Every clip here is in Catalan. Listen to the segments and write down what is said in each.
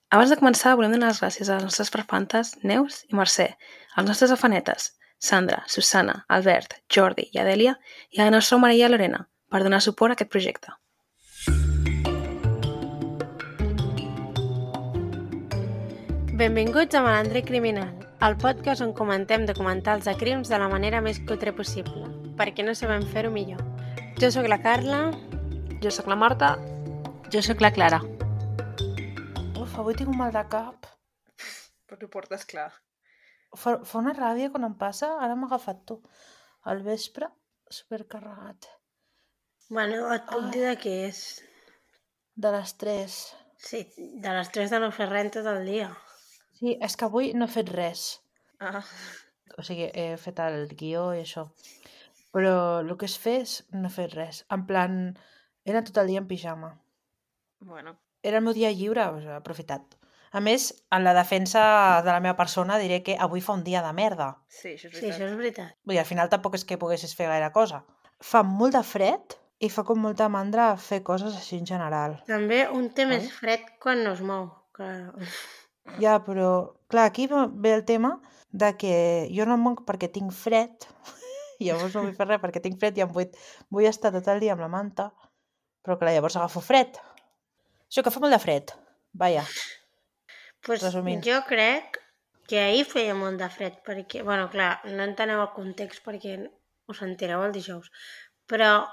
Abans de començar, volem donar les gràcies a les nostres farfantes Neus i Mercè, als nostres afanetes Sandra, Susana, Albert, Jordi i Adèlia i a la nostra Maria Lorena per donar suport a aquest projecte. Benvinguts a Malandre Criminal, el podcast on comentem documentals de crims de la manera més cutre possible, perquè no sabem fer-ho millor. Jo sóc la Carla. Jo sóc la Marta. Jo sóc la Clara. Uf, avui tinc un mal de cap. Però t'ho portes clar. Fa una ràbia quan em passa, ara m'ha agafat tu. Al vespre, supercarregat. Bueno, et puc dir de què és. De les 3. Sí, de les 3 de no fer res tot el dia. Sí, és que avui no he fet res. Ah. O sigui, he fet el guió i això. Però el que és fer és no he fet res. En plan, era tot el dia en pijama. Bueno. Era el meu dia lliure, o sigui, he aprofitat. A més, en la defensa de la meva persona diré que avui fa un dia de merda. Sí, això és veritat. Sí, això és veritat. Vull dir, al final tampoc és que poguessis fer gaire cosa. Fa molt de fred i fa com molta mandra fer coses així en general. També un té més fred quan no es mou. Clar. Ja, però clar, aquí ve el tema de que jo no em moc perquè tinc fred i llavors no vull fer res perquè tinc fred i vull estar tot el dia amb la manta, però clar, llavors agafo fred. Això que fa molt de fred, vaja. Pues resumint. Jo crec que ahir feia molt de fred perquè, bueno, clar, no enteneu el context perquè us entereu el dijous, però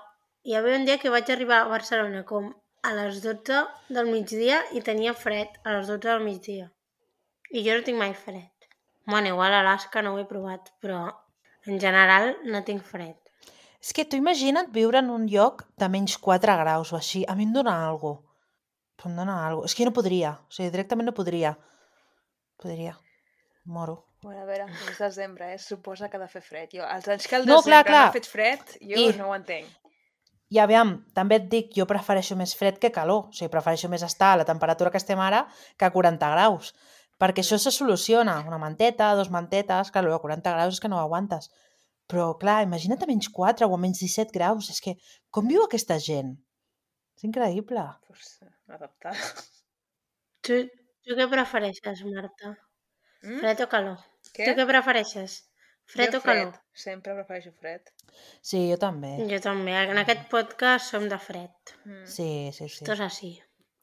hi havia un dia que vaig arribar a Barcelona com a les 12 del migdia i tenia fred a les 12 del migdia. I jo no tinc mai fred. Bueno, igual a Alaska no ho he provat, però en general no tinc fred. És que tu imagina't viure en un lloc de menys 4 graus o així. A mi em dona alguna cosa. Em dona alguna cosa. És que jo no podria. O sigui, directament no podria. Moro. Bueno, a veure, és desembre, suposa que ha de fer fred. Jo, els anys que el No, desembre clar. no ha fet fred, jo no ho entenc. I aviam, també et dic, jo prefereixo més fred que calor. O sigui, prefereixo més estar a la temperatura que estem ara que a 40 graus. Perquè això se soluciona. Una manteta, 2 mantetes, clar, a 40 graus és que no ho aguantes. Però, clar, imagina't a menys 4 o a menys 17 graus. És que, com viu aquesta gent? És increïble. Pues adaptar. Tu què prefereixes, Marta? Fred o calor? Què? Tu què prefereixes? Fred o calor? Sempre prefereixo fred. Sí, jo també. Jo també. En aquest podcast som de fred. Sí. Esto és així.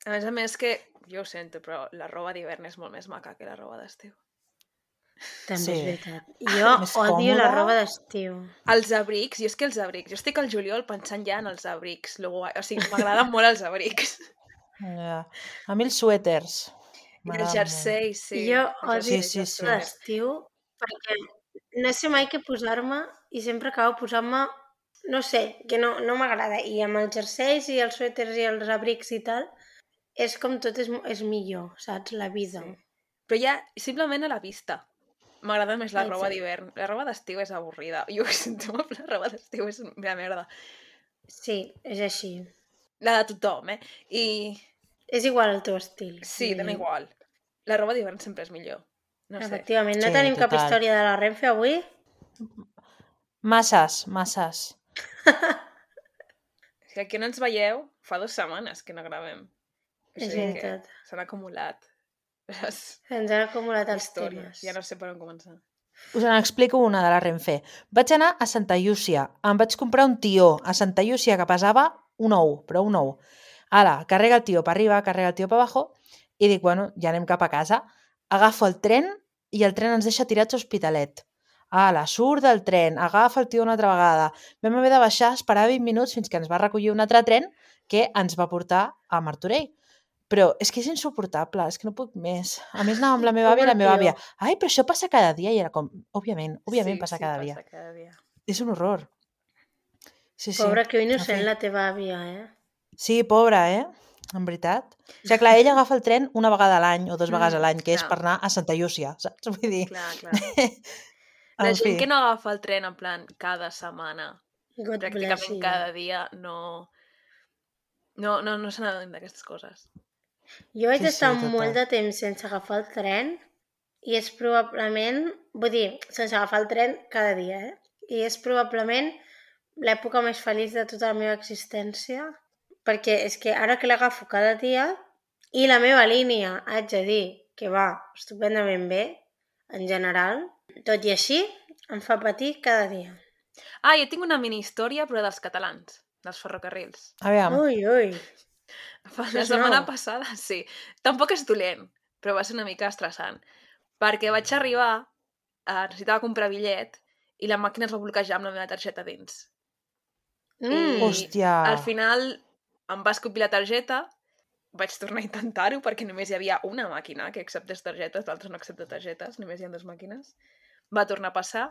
A més que, jo ho sento, però la roba d'hivern és molt més maca que la roba d'estiu. També és veritat. Jo odio la roba d'estiu. Els abrics, jo estic al juliol pensant ja en els abrics. O sigui, m'agraden molt els abrics. Ja. A mi els suèters. I els jerseis, sí. Jo odio Sí. l'estiu perquè no sé mai què posar-me i sempre acabo posant-me, no sé, que no m'agrada. I amb els jerseis i els suèters i els abrics i tal, és com tot és millor, saps? La vida. Sí. Però ja, simplement a la vista. M'agrada més la roba d'hivern. La roba d'estiu és avorrida. Jo ho sento, la roba d'estiu és una merda. Sí, és així. La de tothom, I... És igual el teu estil. Sí, dona igual. La roba d'hivern sempre és millor. No sé. Efectivament. No tenim cap història de la Renfe avui? Masses. Si aquí no ens veieu, fa 2 setmanes que no gravem. És veritat. S'han acumulat. Ens han acumulat els temes. Ja no sé per on començar. Us n'explico una de la Renfe. Vaig anar a Santa Llúcia. Em vaig comprar un tió a Santa Llúcia que pesava un ou, però un ou. Ara, carrega el tió per arriba, carrega el tió per abajo i dic, bueno, ja anem cap a casa. Agafo el tren i el tren ens deixa tirats a Hospitalet. Ala, surt del tren, agafa el tió una altra vegada. Vam haver de baixar, esperar 20 minuts fins que ens va recollir un altre tren que ens va portar a Martorell. Però és que és insuportable, és que no puc més. A més anava amb la meva àvia i la meva àvia. Ai, però això passa cada dia. I era com, òbviament passa cada dia. És un horror. Sí. Pobra, que innocent la teva àvia, Sí, pobra, en veritat. O sigui, clar, ella agafa el tren una vegada a l'any o 2 vegades a l'any, que és per anar a Santa Llúcia, saps? Vull dir... Clar. La gent que no agafa el tren en plan cada setmana, pràcticament cada dia, no se n'adonen d'aquestes coses. Jo vaig estar molt de temps sense agafar el tren i és probablement, sense agafar el tren cada dia, i és probablement l'època més feliç de tota la meva existència, perquè és que ara que l'agafo cada dia I la meva línia, haig de dir, que va estupendament bé, en general. Tot i així, em fa patir cada dia. Ah, jo tinc una mini història, però dels catalans, dels ferrocarrils. Aviam. Ui. La És setmana nou. passada, sí. Tampoc és dolent, però va ser una mica estressant. Perquè vaig arribar, necessitava comprar bitllet, i la màquina es va bloquejar amb la meva targeta dins. I Hòstia. al final em va escopir la targeta, vaig tornar a intentar-ho perquè només hi havia una màquina que acceptés targetes, l'altra no accepta targetes, només hi ha 2 màquines. Va tornar a passar,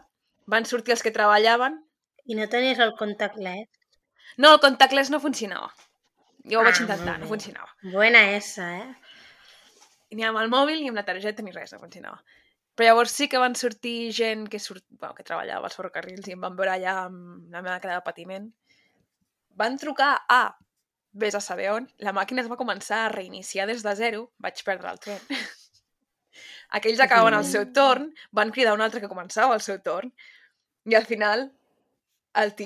van sortir els que treballaven. I no tenies el contactless? No, el contactless no funcionava. Jo ho vaig Ah, intentar, molt no bé. funcionava. Buena essa, Ni amb el mòbil ni amb la targeta ni res, no funcionava. Però llavors sí que van sortir gent que treballava als ferrocarrils i em van veure allà amb la meva cara de patiment. Van trucar a vés a saber on, la màquina es va començar a reiniciar des de zero, vaig perdre el tren. Aquells acabaven el seu torn, van cridar un altre que començava el seu torn, i al final,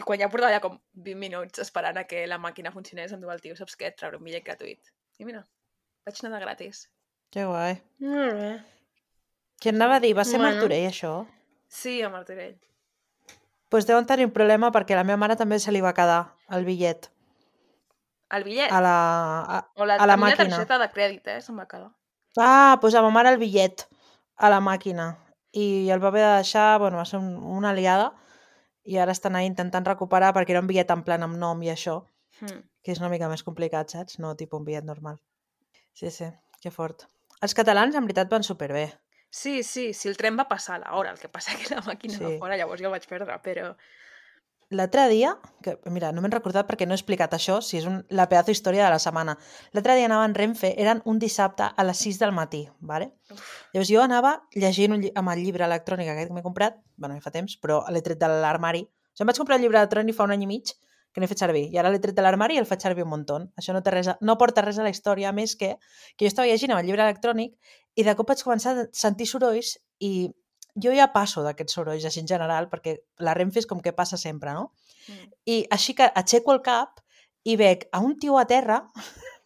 quan ja portava ja com 20 minuts esperant a que la màquina funcionés, em diu el tio, saps què? Et trauré un bitllet gratuït. I mira, vaig anar de gratis. Que guai. Molt bé. Què anava a dir? Va ser Bueno. Martorell, això? Sí, a Martorell. Doncs deuen tenir un problema perquè a la meva mare també se li va quedar el bitllet El bitllet? a la a la màquina. targeta de crèdit, se'm va quedar. Ah, doncs a ma mare el bitllet a la màquina. I el va haver de deixar, bueno, va ser una aliada, i ara estan ahí intentant recuperar perquè era un bitllet en plan amb nom i això, que és una mica més complicat, saps? No tipus un bitllet normal. Sí, que fort. Els catalans, en veritat, van superbé. Sí, el tren va passar a l'hora, el que passa que la màquina va fora, llavors jo el vaig perdre, però... L'altre dia, que mira, no m'he recordat perquè no he explicat això, si és la pedazo història de la setmana. L'altre dia anava en Renfe, eren un dissabte a les 6 del matí, ¿vale? Llavors jo anava llegint amb el llibre electrònic aquest que m'he comprat, bueno, ja fa temps, però l'he tret de l'armari. O sigui, em vaig comprar el llibre electrònic fa un any i mig, que n'he fet servir, i ara l'he tret de l'armari i el faig servir un muntó. Això no porta res a la història, més que jo estava llegint amb el llibre electrònic i de cop vaig començar a sentir sorolls i jo ja passo d'aquests sorolls així en general, perquè la Renfe és com que passa sempre, no? I així que aixeco el cap i veig a un tio a terra,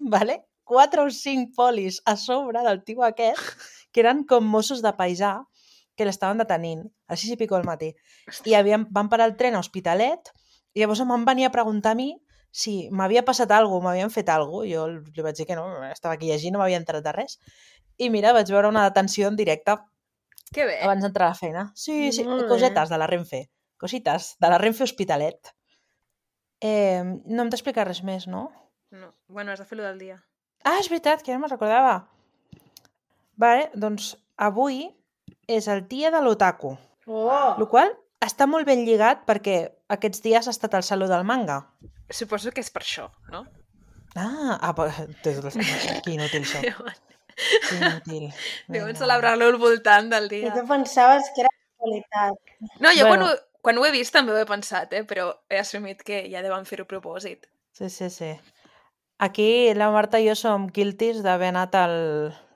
¿vale? 4 o 5 polis a sobre del tio aquest, que eren com Mossos de paisà, que l'estaven detenint a les 6 i pico del matí. I van parar el tren a Hospitalet i llavors em van venir a preguntar a mi si m'havia passat alguna cosa, m'havien fet alguna cosa. Jo li vaig dir que no, estava aquí llegint, no m'havia enterat de res. I mira, vaig veure una detenció en directe. Que bé. Abans d'entrar a la feina. Sí, cosetes de la Renfe. Cosites de la Renfe Hospitalet. No hem d'explicar res més, no? No. Bueno, has de fer-lo del dia. Ah, és veritat, que ja no me'n recordava. Vale, doncs avui és el dia de l'otaku. El qual està molt ben lligat perquè aquests dies ha estat el Saló del Manga. Suposo que és per això, no? Que inútil això. Que inútil. Deuen celebrar-lo al voltant del dia. I tu pensaves que era qualitat. No, jo quan ho he vist també ho he pensat, però he assumit que ja deuen fer-ho a propòsit. Sí. Aquí la Marta i jo som guilties d'haver anat al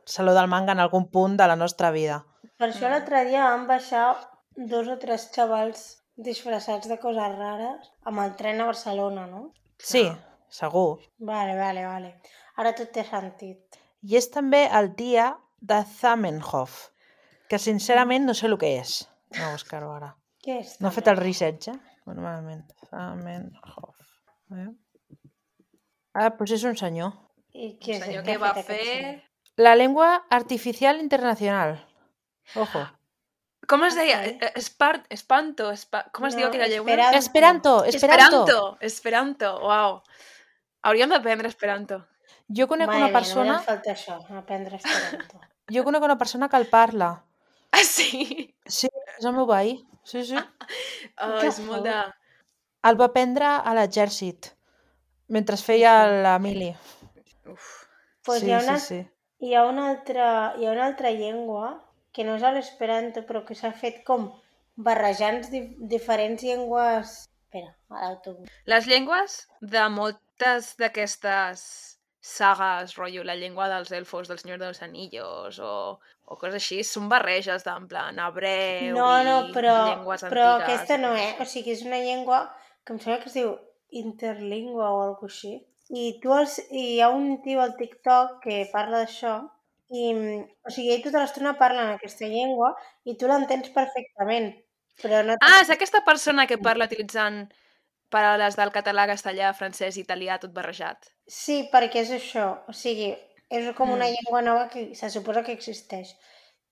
Saló del Manga en algun punt de la nostra vida. Per això l'altre dia van baixar 2 o 3 xavals disfressats de coses rares amb el tren a Barcelona, no? Sí, segur. Vale. Ara tot té sentit. I és també el dia de Zamenhof, que sincerament no sé el que és. No buscar-ho ara. Què és? No he fet el research, normalment. Zamenhof. Doncs és un senyor. I què és? Senyor que va fer... La lengua artificial internacional. Ojo. Com es deia? Espanto? Com es diu aquella llengua? Esperanto, uau. Hauríem d'aprendre esperanto. Jo conec una persona... Només falta això, aprendre esperanto. Jo conec una persona que el parla. Ah, sí? Sí, és el meu veí. Sí. És molt de... El va prendre a l'exèrcit, mentre feia la mili. Pues sí. Hi ha una altra llengua que no és l'esperanto, però que s'ha fet com barrejant diferents llengües... Espera, ara ho trobo. Les llengües de moltes d'aquestes sagues, rotllo, la llengua dels elfos, del Senyor dels Anillos, o coses així, són barreges d'en plan hebreu i llengües antigues. Però aquesta no, O sigui, és una llengua que em sembla que es diu interlingua o alguna cosa així. I hi ha un tio al TikTok que parla d'això i, o sigui, ell tota l'estona parla en aquesta llengua i tu l'entens perfectament, però no... És aquesta persona que parla utilitzant paraules del català, castellà, francès i italià tot barrejat. Sí, perquè és això, o sigui, és com una llengua nova que se suposa que existeix.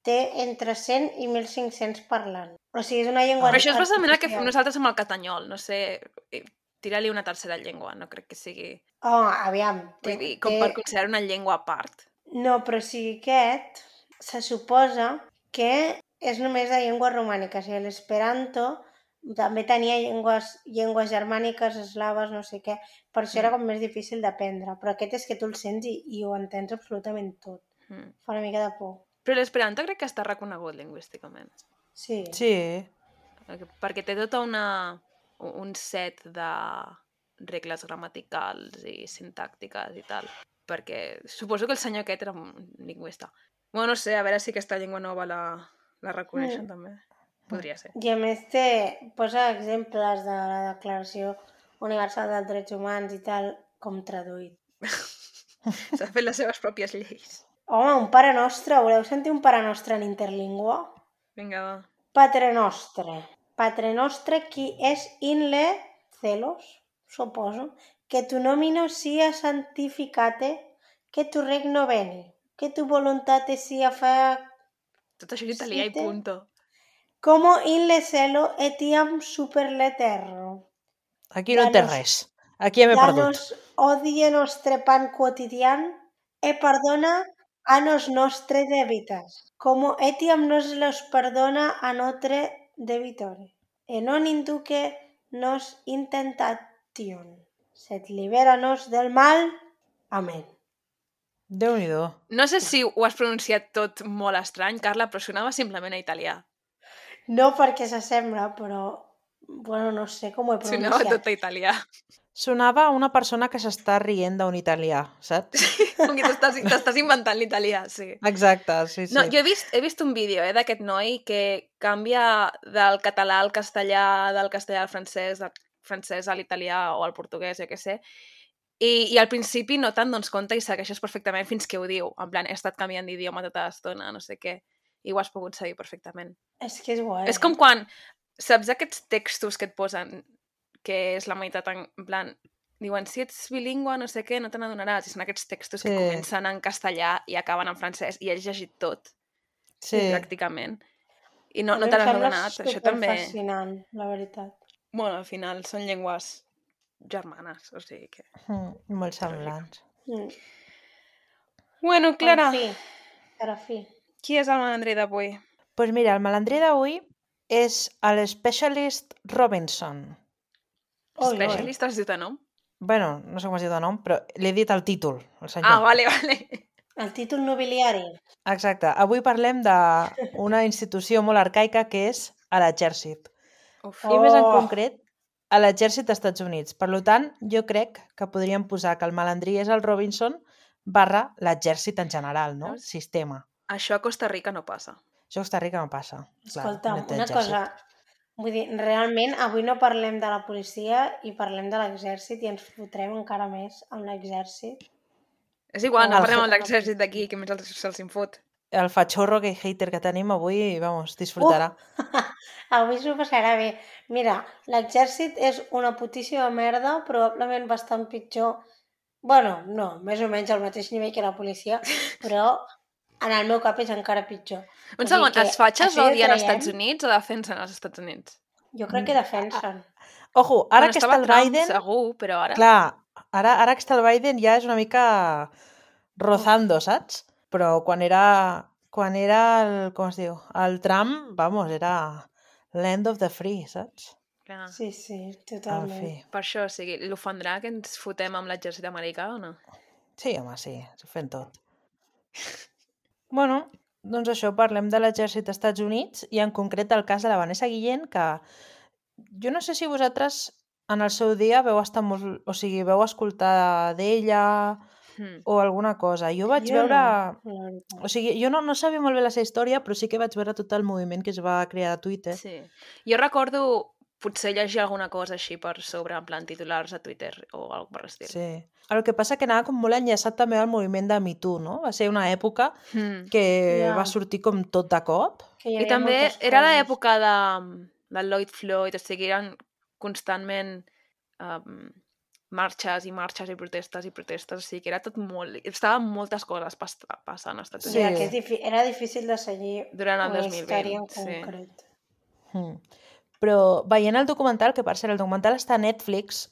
Té entre 100 i 1.500 parlants. O sigui, és una llengua Però això és bàsicament el que fem artificial. nosaltres amb el catanyol, no sé, tira-li una tercera llengua, no crec que sigui... Oh, aviam. Vull dir, com per considerar una llengua a part. No, però o sigui, aquest se suposa que és només de llengües romàniques. I l'esperanto també tenia llengües germàniques, eslaves, no sé què. Per això era com més difícil d'aprendre. Però aquest és que tu el sents i ho entens absolutament tot. Fa una mica de por. Però l'esperanto crec que està reconegut lingüísticament. Sí. Sí. Perquè té tota un set de regles gramaticals i sintàctiques i tal. Perquè suposo que el senyor aquest era un lingüista. Bueno, no sé, a veure si aquesta llengua nova la reconeixen també. Podria ser. I a més posa exemples de la Declaració Universal dels Drets Humans i tal, com traduït. S'ha fet les seves pròpies lleis. Home, un Pare Nostre. Voleu sentir un Pare Nostre en interlingua? Vinga, va. Patre Nostre. Patre Nostre qui és in le celos, suposo, que tu nomino sia santificate, que tu regno veni, que tu voluntate sia fa... Tot això és italià i punto. Como in le cielo etiam super l'eterno. Aquí no té res. Aquí hem perdut. Danos odie nostre pan quotidian e perdona a nos nostre debitas, como etiam nos los perdona a notre debitore. E non induque nos intentation, sed libera-nos del mal. Amén. Déu-n'hi-do. No sé si ho has pronunciat tot molt estrany, Carla, però sonava simplement a italià. No perquè s'assembla, però... Bueno, no sé com ho he pronunciat. Sonava tot a italià. Sonava una persona que s'està rient d'un italià, saps? Com que t'estàs inventant l'italià, sí. Exacte, sí, sí. No, jo he vist un vídeo d'aquest noi que canvia del català al castellà, del castellà al francès, del francès a l'italià o al portuguès, jo què sé, i al principi no te'n dones compte i segueixes perfectament fins que ho diu. En plan, he estat canviant d'idioma tota l'estona, no sé què, i ho has pogut seguir perfectament. És que és guai. És com quan, saps aquests textos que et posen, que és la meitat en plan, diuen, si ets bilingüe, no sé què, no te n'adonaràs. I són aquests textos que comencen en castellà i acaben en francès, i has llegit tot, pràcticament. I no te n'has adonat. Això també... És fascinant, la veritat. Bueno, al final són llengües germanes, o sigui que... Molt semblants. Bueno, Clara, Per fi. Qui és el malandrí d'avui? Doncs mira, el malandrí d'avui és l'Specialist Robinson. Specialist has dit de nom? Bueno, no sé com es diu de nom, però l'he dit el títol, el senyor. Vale. El títol nobiliari. Exacte. Avui parlem d'una institució molt arcaica que és l'exèrcit. I més en concret, a l'exèrcit dels Estats Units. Per tant, jo crec que podríem posar que el malandrí és el Robinson / l'exèrcit en general, no? Sistema. Això a Costa Rica no passa. Això a Costa Rica no passa. Escolta, una cosa... Vull dir, realment, avui no parlem de la policia i parlem de l'exèrcit i ens fotrem encara més amb l'exèrcit. És igual, no parlem amb l'exèrcit d'aquí, que més se'ls infot. El fatxorro gay hater que tenim avui, vamos, disfrutarà. Avui s'ho passarà bé. Mira, l'exèrcit és una putíssima merda, probablement bastant pitjor. Bueno, no, més o menys al mateix nivell que la policia, però en el meu cap és encara pitjor. Un segon, els fatxes odien als Estats Units o defensen els Estats Units? Jo crec que defensen. Ojo, ara que està el Biden... Segur, però ara... Clar, ara que està el Biden ja és una mica rozando, saps? Però quan era el, com es diu, el Trump, vamos, era land of the free, saps? Clar. Sí, totalment. Per això, o sigui, l'ofendrà que ens fotem amb l'exèrcit americà o no? Sí, home, sí, s'ho fem tot. Bueno, doncs això, parlem de l'exèrcit dels Estats Units i en concret el cas de la Vanessa Guillén, que jo no sé si vosaltres en el seu dia veu estar molt... O sigui, veu escoltar d'ella o alguna cosa. Jo vaig veure... No. O sigui, jo no sabia molt bé la seva història, però sí que vaig veure tot el moviment que es va crear a Twitter. Sí. Jo recordo potser llegir alguna cosa així per sobre, en plan titulars a Twitter o alguna per l'estil. Sí. El que passa que anava com molt enllaçat també al moviment de Me Too, no? Va ser una època que Ja. va sortir com tot de cop. Que hi I havia també moltes era coses. l'època de Lloyd Floyd, o sigui, eren constantment marxes i marxes i protestes, o sigui, que era tot molt... Estaven moltes coses passant als Estats O Units. sigui, que era difícil de seguir Durant el una 2020, història en sí. concret. Però veient el documental, que per cert, el documental està a Netflix,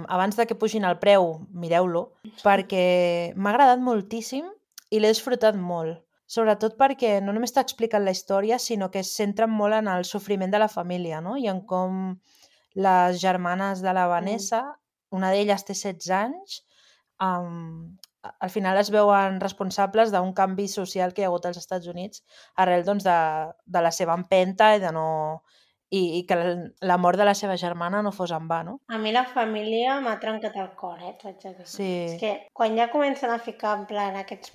abans de que pugin el preu, mireu-lo, perquè m'ha agradat moltíssim i l'he disfrutat molt. Sobretot perquè no només t'ha explicat la història, sinó que es centra molt en el sofriment de la família, no? I en com les germanes de la Vanessa, una d'elles té 16 anys, al final es veuen responsables d'un canvi social que hi ha hagut als Estats Units arrel doncs, de la seva empenta i de no... I que la mort de la seva germana no fos en va, no? A mi la família m'ha trencat el cor, t'ho haig de dir. Sí. És que quan ja comencen a ficar en plan aquests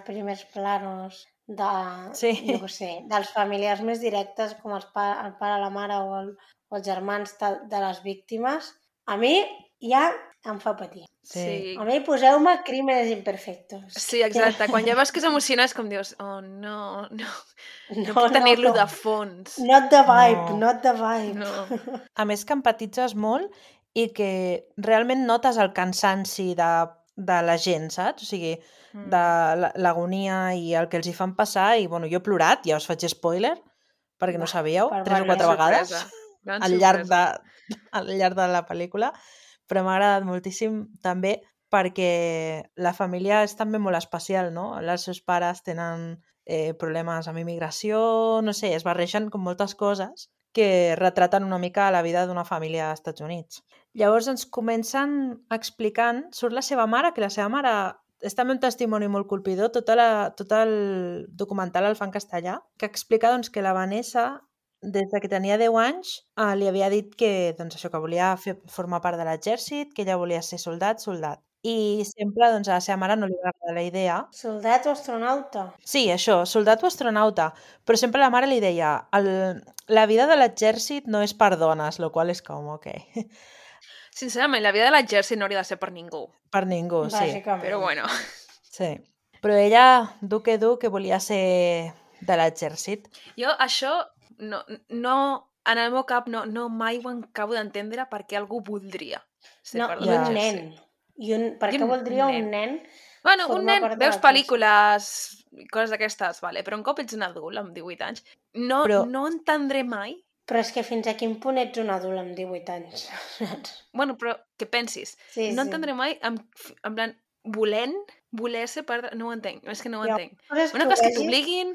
primers planos de, Sí. jo què sé, dels familiars més directes com el pare, la mare o els germans de les víctimes, a mi ja em fa patir. Sí. A mi poseu-me crímenes imperfectos. Sí, exacte. Quan ja veus que s'emociona és com dius, oh, no puc tenir-lo de fons. Not the vibe, No. not the vibe. No. A més que empatitzes molt i que realment notes el cansanci de la gent, saps? O sigui, de l'agonia i el que els hi fan passar. I, bueno, jo he plorat, ja us faig spoiler, perquè no sabíeu, per 3 o 4 vegades Gran al llarg de la pel·lícula, però m'ha agradat moltíssim també perquè la família és també molt especial, no? Els seus pares tenen problemes amb immigració, no sé, es barregen com moltes coses que retraten una mica la vida d'una família als Estats Units. Llavors ens comencen explicant, surt la seva mare, que la seva mare és també un testimoni molt colpidor, tot el documental el fa en castellà, que explica doncs, que la Vanessa, des de que tenia 10 anys, li havia dit que, doncs, això, que volia formar part de l'exèrcit, que ella volia ser soldat. I sempre doncs, a la seva mare no li va agradar la idea. Soldat o astronauta? Sí, això, soldat o astronauta. Però sempre la mare li deia la vida de l'exèrcit no és per dones, lo qual és com, ok. Sincerament, la vida de l'exèrcit no hauria de ser per ningú. Per ningú, sí. Bàsicament. Però bueno. Sí. Però ella, que volia ser de l'exèrcit. Jo això no en el meu cap no mai ho acabo d'entendre per què algú voldria ser No, part i de un l'exèrcit. nen. Per què voldria un nen? Bueno, un formar nen, part de veus l'exèrcit? pel·lícules i coses d'aquestes, vale, però un cop ets un adult amb 18 anys, no entendré mai. Però és que fins a quin punt ets un adult amb 18 anys, saps? Bueno, però que pensis, Sí, no sí. entendré mai en plan, voler ser part de... No ho entenc, és que no ho Hi ha entenc. coses Una que cosa és que vegis t'obliguin,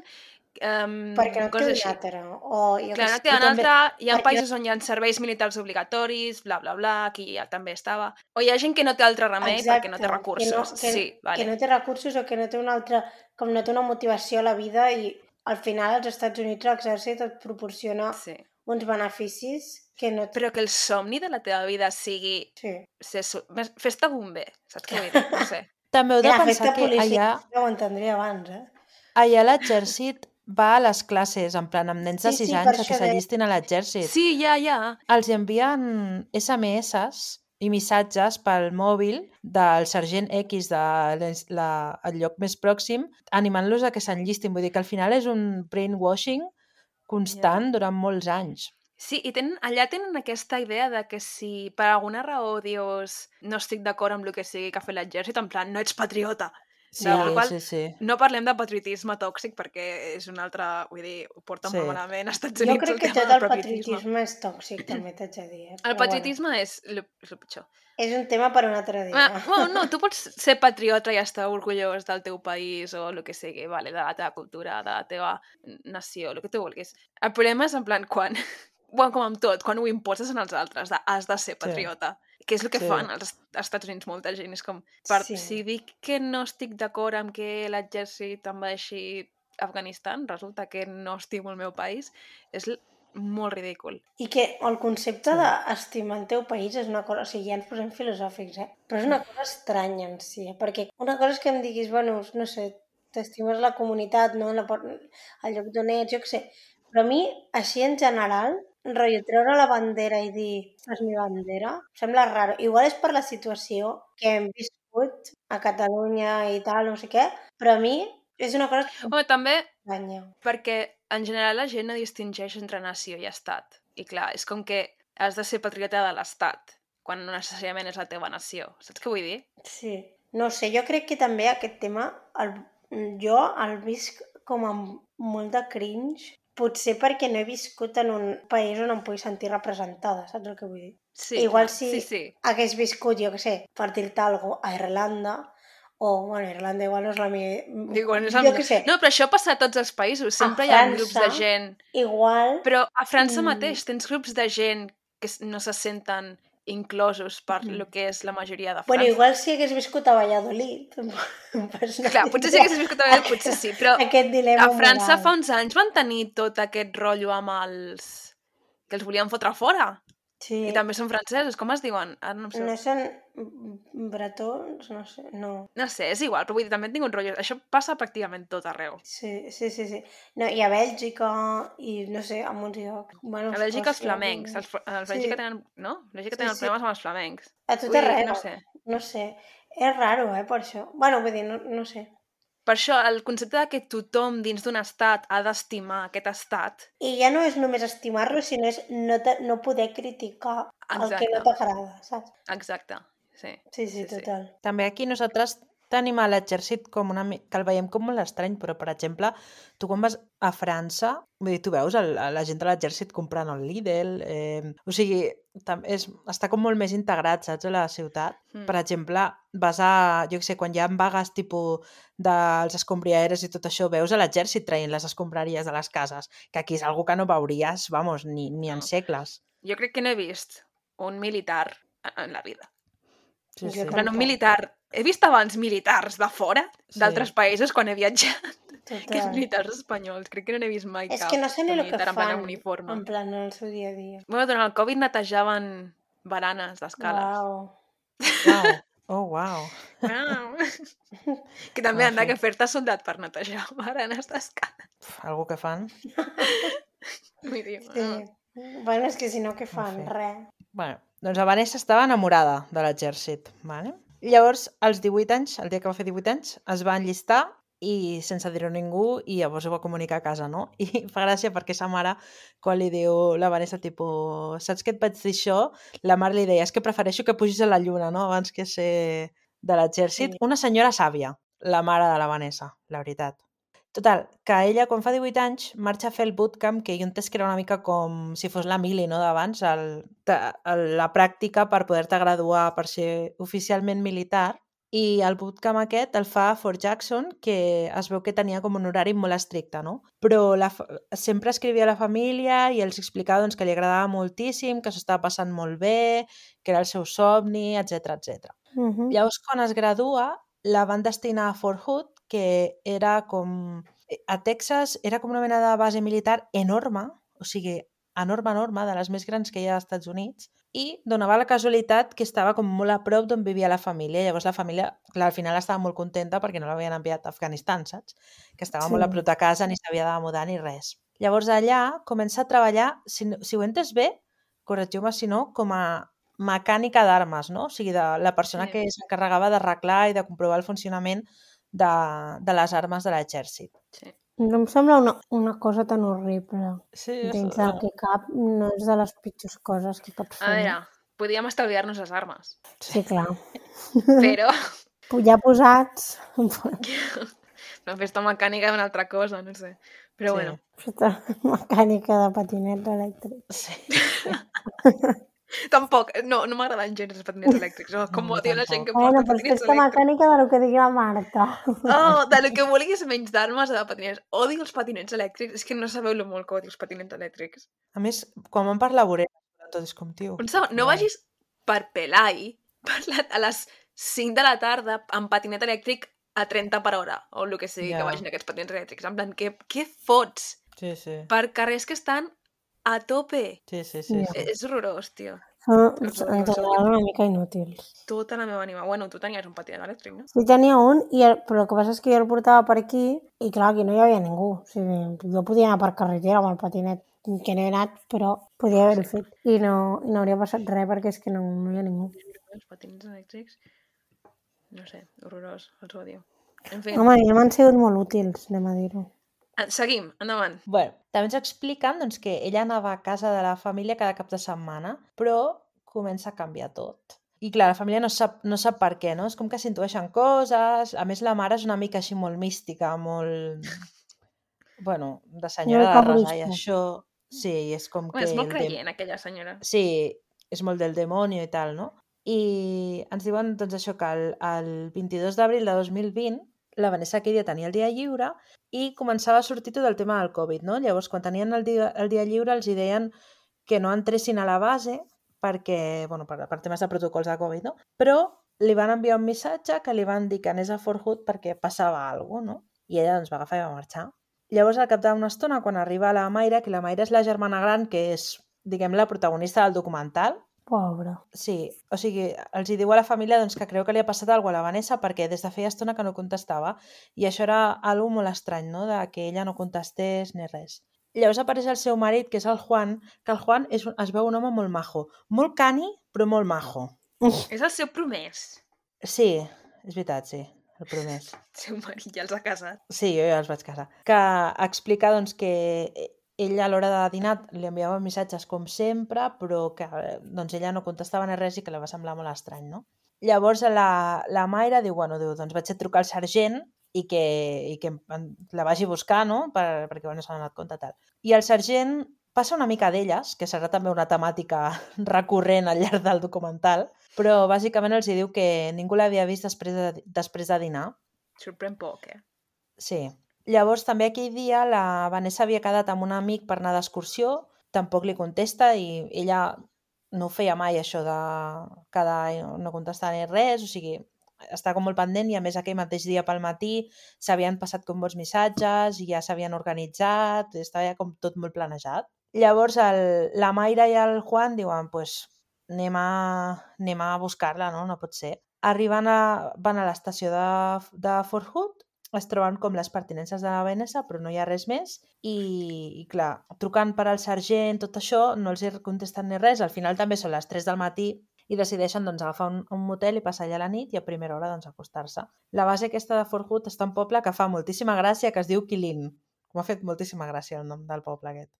perquè no et coses quedi així. altra. O jo Clar, què no sé, queda jo també- altra, hi ha perquè- països on hi ha serveis militars obligatoris, bla, bla, bla, aquí ja també estava. O hi ha gent que no té altre remei perquè no té Exacte, recursos. Sí, vale. Que no té recursos o que no té una altra... Com no té una motivació a la vida i al final als Estats Units l'exèrcit et proporciona Sí. uns beneficis que no... Però que el somni de la teva vida sigui Sí. fes-te bomber, saps què vull dir? No sé. També heu de Mira, pensar festa que policia, ho entendria abans, allà l'exèrcit va a les classes, en plan, amb nens de Sí, 6 sí, per anys a això que s'allistin a l'exèrcit. Sí, ja. Els envien SMS i missatges pel mòbil del sergent X el lloc més pròxim, animant-los a que s'enllistin. Vull dir que al final és un brainwashing constant durant molts anys. Sí, i allà tenen aquesta idea de que si per alguna raó dius no estic d'acord amb el que sigui que ha fet l'exèrcit, en plan, no ets patriota. Sí, De la qual sí. No parlem de patriotisme tòxic perquè és un altre, vull dir, ho porten molt malament als Estats Jo Units. crec que tema tot del el patriotisme és tòxic, també t'haig de dir. El patriotisme és el pitjor. És un tema per un altre dia. Bueno, no, tu pots ser patriota i estar orgullós del teu país o el que sigui, vale, de la teva cultura, de la teva nació, el que tu vulguis. El problema és en plan quan, bueno, com amb tot, quan ho imposes en els altres, has de ser patriota. Que és el que fan als Estats Units molta gent. És com, si dic que no estic d'acord amb que l'exèrcit envaeixi Afganistan, resulta que no estimo el meu país, és molt ridícul. I que el concepte d'estimar el teu país és una cosa... O sigui, ja ens posem filosòfics, però és una cosa estranya en si, perquè una cosa és que em diguis, bueno, no sé, t'estimes la comunitat, no? El lloc d'on ets, jo què sé. Però a mi, així en general, rotllo, treure la bandera i dir, és mi bandera, sembla raro. Igual és per la situació que hem viscut a Catalunya i tal, no sé què, però a mi és una cosa que Home, també m'estranya. perquè en general la gent no distingeix entre nació i estat. I clar, és com que has de ser patriota de l'estat, quan no necessàriament és la teva nació. Saps què vull dir? Sí. No sé, jo crec que també aquest tema jo el visc com amb molt de cringe, potser perquè no he viscut en un país on em pugui sentir representada, saps el que vull dir? Sí, Igual clar. si Sí. hagués viscut, jo què sé, per dir-te alguna cosa, a Irlanda, o, bueno, Irlanda igual no és la meva... Digo, Jo què sé, No, però això passa a tots els països. Sempre a hi ha grups de França, gent. igual... Però a França mateix tens grups de gent que no se senten inclosos per lo que és la majoria de França. Bueno, igual si hagués viscut a Valladolid, pues no Clar, potser si haguessis viscut a Valladolid, potser sí, però aquest dilema a França moral. fa uns anys van tenir tot aquest rotllo amb els... que els volien fotre fora. Sí. I també són francesos, com es diuen? Ara no em sé. No són bretons, no sé, no. No sé, és igual, però vull dir, també tinc un rotllo. Això passa pràcticament tot arreu. Sí. No, i a Bèlgica, i no sé, a molts llocs. Bueno, A Bèlgica els Escòcia, flamencs. A Bèlgica tenen... No? A Bèlgica tenen problemes amb els flamencs. A tot Vull dir, arreu. no sé. No sé. És raro, per això. Bueno, vull dir, no sé. Per això, el concepte de que tothom dins d'un estat ha d'estimar aquest estat... I ja no és només estimar-lo, sinó és no poder criticar el que no t'agrada, saps? Exacte, sí. Sí, total. També aquí nosaltres tenim a l'exèrcit com que el veiem com molt estrany, però, per exemple, tu quan vas a França, vull dir, tu veus la gent de l'exèrcit comprant el Lidl, o sigui, està com molt més integrat, saps, a la ciutat. Per exemple, vas a, jo què sé, quan hi ha vagues tipus dels escombriaires i tot això, veus a l'exèrcit traient les escombraries de les cases, que aquí és algo que no veuries, vamos, ni en segles. Jo crec que no he vist un militar en la vida. Sí. Un militar... He vist abans militars de fora, d'altres països, quan he viatjat, que els militars espanyols. Crec que no n'he vist mai cap. És que no sé ni el que fan, uniforme. en plan, en el seu dia a dia. Bueno, durant el Covid netejaven baranes d'escales. Wow. Oh, wow. Que també han de fer-te soldat per netejar baranes d'escales. Algú que fan. Vull dir, Sí. Bueno, és que si no, què fan? Res. Bueno, doncs la Vanessa estava enamorada de l'exèrcit, vale? Llavors, als 18 anys, el dia que va fer 18 anys, es va enllistar i sense dir-ho a ningú, i llavors ho va comunicar a casa, no? I fa gràcia perquè sa mare, quan li diu la Vanessa, tipus, saps que et vaig dir això? La mare li deia, és que prefereixo que pugis a la lluna, no?, abans que ser de l'exèrcit. Sí. Una senyora sàvia, la mare de la Vanessa, la veritat. Total, que ella, quan fa 18 anys, marxa a fer el bootcamp, que jo entès que era una mica com si fos la mili, no?, d'abans, la pràctica per poder-te graduar per ser oficialment militar. I el bootcamp aquest el fa a Fort Jackson, que es veu que tenia com un horari molt estricte, no? Però sempre escrivia a la família i els explicava doncs, que li agradava moltíssim, que s'ho estava passant molt bé, que era el seu somni, etc. Llavors, quan es gradua, la van destinar a Fort Hood, que era com... A Texas era com una mena de base militar enorme, o sigui, enorme, de les més grans que hi ha als Estats Units, i donava la casualitat que estava com molt a prop d'on vivia la família. Llavors la família, clar, al final estava molt contenta perquè no l'havien enviat a Afganistan, saps? Que estava molt a prop de casa, ni s'havia de mudar ni res. Llavors allà comença a treballar, si ho he entès bé, corregiu-me si no, com a mecànica d'armes, no? O sigui, de la persona que s'encarregava d'arreglar i de comprovar el funcionament de les armes de l'exèrcit. Sí. No em sembla una cosa tan horrible. Sí, dins del que cap no és de les pitjors coses que pots fer. A veure, podíem estalviar-nos les armes. Sí, clar. Però... Ja posats... Una festa mecànica és una altra cosa, no sé. Però bueno. Festa mecànica de patinets elèctrics. Sí. Tampoc, no m'agraden gens els patinets elèctrics, com ho diu la gent que porta patinets elèctrics. Festa mecànica de lo que digui la Marta. Oh, de lo que vulguis menys d'armes de patinets. Odio els patinets elèctrics, és que no sabeu lo molt que odio els patinets elèctrics. A més, quan van per la vorera, tot és com, tio. Un segon, no vagis per Pelai a les 5 de la tarda amb patinet elèctric a 30 per hora, o el que sigui que vagin aquests patinets elèctrics. En plan, què fots? Sí. Per carrers que estan a tope. Sí. És horrorós, tio. Ens semblaven una mica inútils. Tota la meva ànima. Bueno, tu tenies un patinet elèctric, no? Sí, tenia un, però el que passa és que jo el portava per aquí i clar, aquí no hi havia ningú. O sigui, jo podia anar per carretera amb el patinet que no he anat, però podia haver-ho fet. I no hauria passat res perquè és que no hi ha ningú. Els patins elèctrics, no sé, horrorós, els odio. En fi, Home, ja m'han sigut molt útils, anem a dir-ho. seguim, endavant. Bueno, també ens expliquen doncs, que ella anava a casa de la família cada cap de setmana, però comença a canviar tot. I clar, la família no sap per què, no? És com que s'intueixen coses. A més, la mare és una mica així molt mística, molt... Bueno, de senyora Molt de resar i cabrista. això... Sí, és com Bueno, que... és molt creient, aquella senyora. Sí, és molt del demonio i tal, no? I ens diuen doncs, això que el 22 d'abril de 2020 la Vanessa aquell dia tenia el dia lliure i començava a sortir tot el tema del Covid, no? Llavors, quan tenien el dia lliure, els hi deien que no entressin a la base perquè, bueno, per temes de protocols de Covid, no? Però li van enviar un missatge que li van dir que anés a Fort Hood perquè passava alguna cosa, no? I ella doncs, va agafar i va marxar. Llavors, al cap d'una estona, quan arriba la Mayra, que la Mayra és la germana gran, que és, diguem, la protagonista del documental. Pobre. Sí, o sigui, els hi diu a la família doncs, que creu que li ha passat alguna cosa a la Vanessa perquè des de feia estona que no contestava i això era algo molt estrany, no?, de que ella no contestés ni res. Llavors apareix el seu marit, que és el Juan, que el Juan es veu un home molt majo, molt cani, però molt majo. És el seu promès. Sí, és veritat, sí, el promès. El seu marit ja els ha casat. Sí, jo ja els vaig casar. Que explica doncs, que ell a l'hora de dinar li enviava missatges com sempre, però que doncs, ella no contestava ni res i que li va semblar molt estrany, no? Llavors la Mayra diu, doncs vaig a trucar al sergent i que la vagi a buscar, no? Perquè no s'han donat compte tal. I el sergent passa una mica d'elles, que serà també una temàtica recurrent al llarg del documental, però bàsicament els diu que ningú l'havia vist després de dinar. Sorprèn poc, eh? Sí. Llavors, també aquell dia la Vanessa havia quedat amb un amic per anar d'excursió, tampoc li contesta i ella no ho feia mai, això de quedar i no contestar ni res, o sigui, està com molt pendent i a més aquell mateix dia pel matí s'havien passat com molts missatges i ja s'havien organitzat, estava ja com tot molt planejat. Llavors la Mayra i el Juan diuen, pues, anem a buscar-la, no? No pot ser. Van a l'estació de Fort Hood, es troben com les pertinences de la Vanessa, però no hi ha res més, i clar, trucant per al sergent, tot això, no els hi contesten ni res, al final també són les 3 del matí i decideixen doncs, agafar un motel i passar allà la nit i a primera hora doncs, acostar-se. La base aquesta de Fort Hood està en un poble que fa moltíssima gràcia, que es diu Quilin. M'ha fet moltíssima gràcia el nom del poble aquest.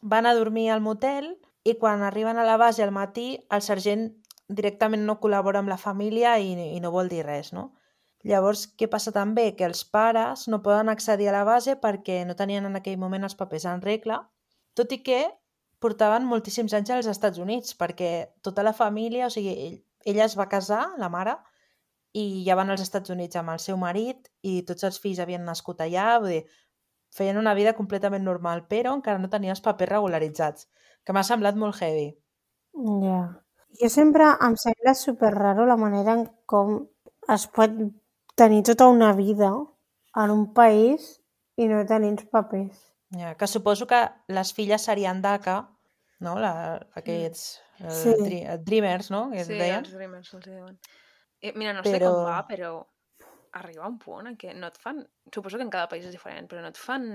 Van a dormir al motel i quan arriben a la base al matí el sergent directament no col·labora amb la família i no vol dir res, no? Llavors, què passa també? Que els pares no poden accedir a la base perquè no tenien en aquell moment els papers en regla, tot i que portaven moltíssims anys als Estats Units, perquè tota la família, o sigui, ella es va casar, la mare, i ja van als Estats Units amb el seu marit i tots els fills havien nascut allà, vull dir, feien una vida completament normal, però encara no tenien els papers regularitzats, que m'ha semblat molt heavy. Ja. Jo sempre em sembla superraro la manera en com es pot tenir tota una vida en un país i no tenir els papers. Ja, que suposo que les filles serien DACA, no? Aquests Sí. Dreamers, no? Que es Sí, deien. els Dreamers els diuen. Mira, no sé Però- com va, però arriba un punt en què no et fan... Suposo que en cada país és diferent, però no et fan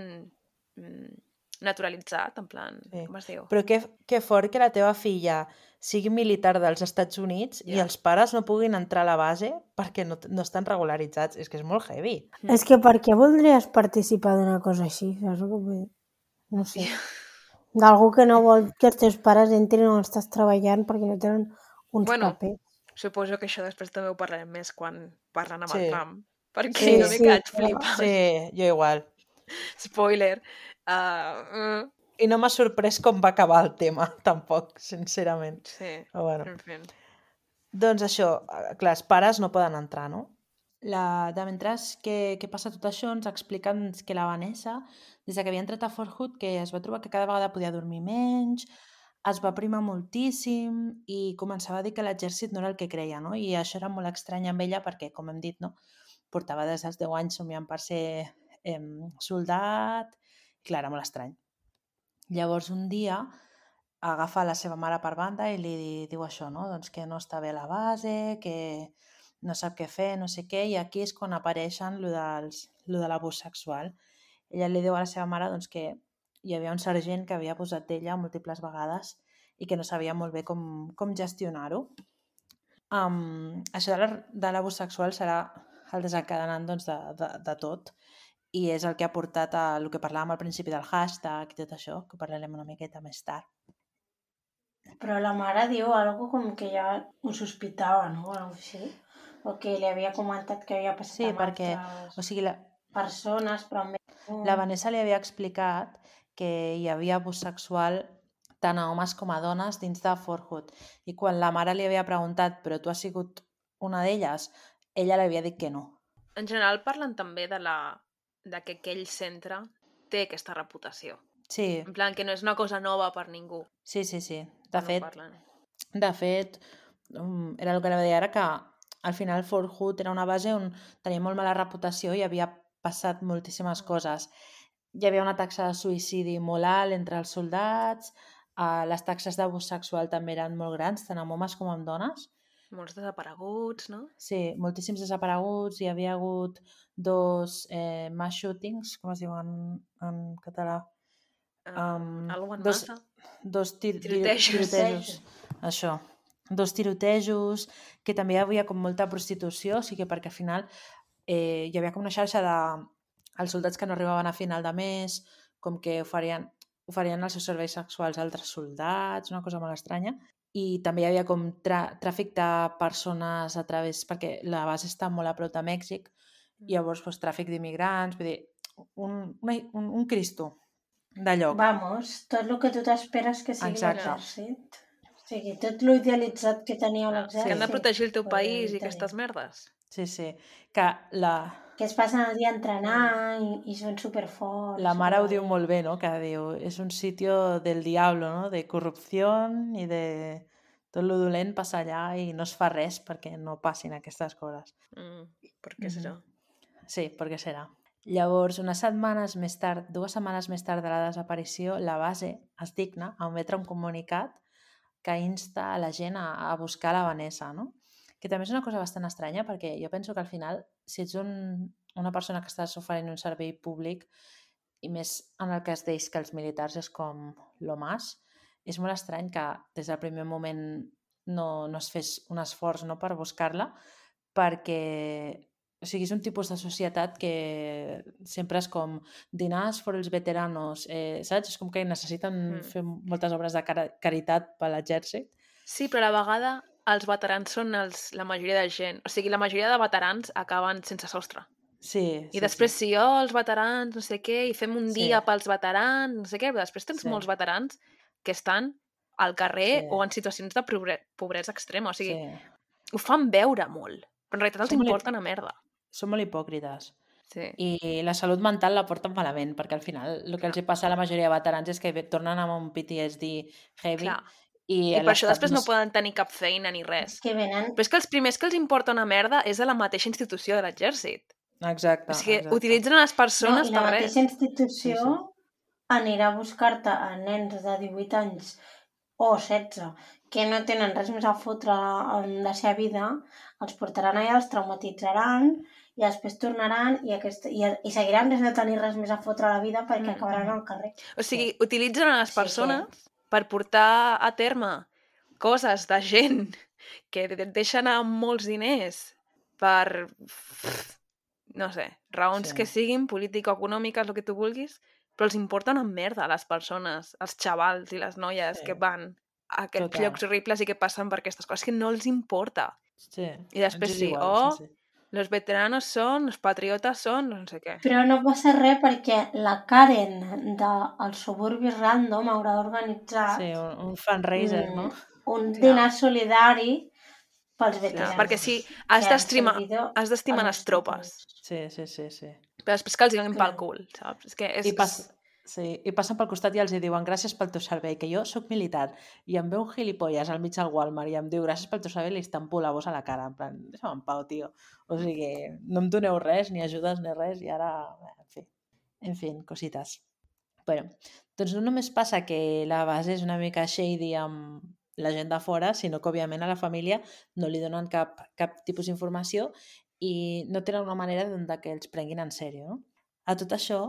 naturalitzat, en plan... Sí. Com es diu? Però que fort que la teva filla sigui militar dels Estats Units i Ja. els pares no puguin entrar a la base perquè no estan regularitzats. És que és molt heavy. És que per què voldries participar d'una cosa així? Saps el que vull dir? No sé. D'algú que no vol que els teus pares entrin on estàs treballant perquè no tenen uns Bueno, papers. Suposo que això després també ho parlarem més quan parlen amb Sí. el Trump. Perquè Sí, una mica vaig sí, flipar. Sí, jo igual. Spoiler. I no m'ha sorprès com va acabar el tema, tampoc, sincerament. Sí, Però bueno. en fi. Doncs això, clar, els pares no poden entrar, no? De mentre que passa tot això, ens expliquen que la Vanessa, des que havia entrat a Fort Hood, que es va trobar que cada vegada podia dormir menys, es va primar moltíssim i començava a dir que l'exèrcit no era el que creia, no? I això era molt estrany amb ella perquè, com hem dit, no? Portava des dels 10 anys somiant per ser soldat. Clar, era molt estrany. Llavors, un dia, agafa la seva mare per banda i li diu això, no? Doncs que no està bé a la base, que no sap què fer, no sé què, i aquí és quan apareixen lo de l'abús sexual. Ella li diu a la seva mare doncs, que hi havia un sergent que havia posat d'ella múltiples vegades i que no sabia molt bé com gestionar-ho. Això de l'abús sexual serà el desencadenant doncs, de tot, i és el que ha portat a el que parlàvem al principi del hashtag i tot això, que parlarem una miqueta més tard. Però la mare diu algo com que ja ho sospitava, no? O alguna cosa així. O que li havia comentat que havia passat Sí, amb perquè, altres o sigui, persones, però amb ell la Vanessa li havia explicat que hi havia abús sexual tant a homes com a dones dins de Forhood. I quan la mare li havia preguntat però tu has sigut una d'elles, ella li havia dit que no. En general parlen també de que aquell centre té aquesta reputació. Sí, En plan, que no és una cosa nova per ningú. sí. De quan ho fet, parlen. era el que anava a dir ara, que al final Forhood era una base on tenia molt mala reputació i havia passat moltíssimes coses. Hi havia una taxa de suïcidi molt alt entre els soldats, les taxes d'abús sexual també eren molt grans, tant amb homes com amb dones. Molts desapareguts, no? Sí, moltíssims desapareguts, hi havia hagut 2 mass shootings, com es diuen en català? Algo en dos, massa. dos Tirotejos. tirotejos. Això. 2 tirotejos, que també hi havia com molta prostitució, o sigui, perquè al final hi havia com una xarxa de els soldats que no arribaven a final de mes, com que oferien els seus serveis sexuals a altres soldats, una cosa molt estranya. I també hi havia com tràfic de persones a través, perquè la base està molt a prop de Mèxic, i llavors doncs, tràfic d'immigrants, vull dir, un Cristo de lloc. Vamos, tot el que tu t'esperes que sigui Exacte. l'exèrcit. O sigui, tot lo idealitzat que tenia És l'exèrcit. que han de protegir el teu Pues, país i tenim. aquestes merdes. Sí. Que Que es passen el dia entrenant i són superforts. la mare ho diu molt bé, no? Que diu, és un sitio del diablo, no? De corrupció i de tot lo dolent passa allà i no es fa res perquè no passin aquestes coses. Per què serà? Sí, per què serà? Llavors, 2 setmanes més tard de la desaparició, la base es digna a emetre un comunicat que insta a la gent a buscar la Vanessa, no? Que també és una cosa bastant estranya, perquè jo penso que al final, si ets una persona que estàs oferint un servei públic, i més en el cas d'ells, que els militars és com lo más, és molt estrany que des del primer moment no es fes un esforç, no, per buscar-la, perquè o sigui, és un tipus de societat que sempre és com dinars per als veteranos, saps? És com que necessiten fer moltes obres de caritat per l'exèrcit. Sí, però a la vegada els veterans són la majoria de gent. O sigui, la majoria de veterans acaben sense sostre. Sí. I després, si els veterans, no sé què, i fem un dia pels veterans, no sé què, però després tens molts veterans que estan al carrer o en situacions de pobresa extrema. O sigui, ho fan veure molt, però en realitat els importa una merda. Són molt hipòcrites. Sí. I la salut mental la porten malament, perquè al final el que els hi passa a la majoria de veterans és que tornen amb un PTSD heavy. Clar. I per això després no poden tenir cap feina ni res. Que venen... Però és que els primers que els importa una merda és a la mateixa institució de l'exèrcit. Exacte. O sigui, utilitzen les persones per res. per la mateixa institució anirà a buscar-te a nens de 18 anys o 16 que no tenen res més a fotre en la seva vida, els portaran allà, els traumatitzaran i després tornaran i seguiran sense tenir res més a fotre a la vida perquè acabaran al carrer. O sigui, utilitzen a les persones per portar a terme coses de gent que deixen anar molts diners per, no sé, raons que siguin político-econòmiques, el que tu vulguis, però els importa una merda a les persones, els xavals i les noies que van a aquests llocs horribles i que passen per aquestes coses, que no els importa. Sí. I després los veteranos són, los patriotes són, no sé què. Però no passa res perquè la Karen dels suburbis random haurà organitzat un fundraiser, no? Un dinar solidari pels veterans. Perquè sí, has d'estimar les tropes. Sí. Però després que els donin pel cul, saps? És que I passen pel costat i els diuen gràcies pel teu servei, que jo sóc militar i em ve un gilipolles al mig del Walmart i em diu gràcies pel teu servei i li estampo la bossa a la cara, en plan, deixa'm en pau, tio. O sigui, no em doneu res, ni ajudes ni res, i ara, en fi, cosites. Bueno, doncs no només passa que la base és una mica shady amb la gent de fora, sinó que òbviament a la família no li donen cap tipus d'informació i no tenen una manera de que els prenguin en sèrio, no? A tot això,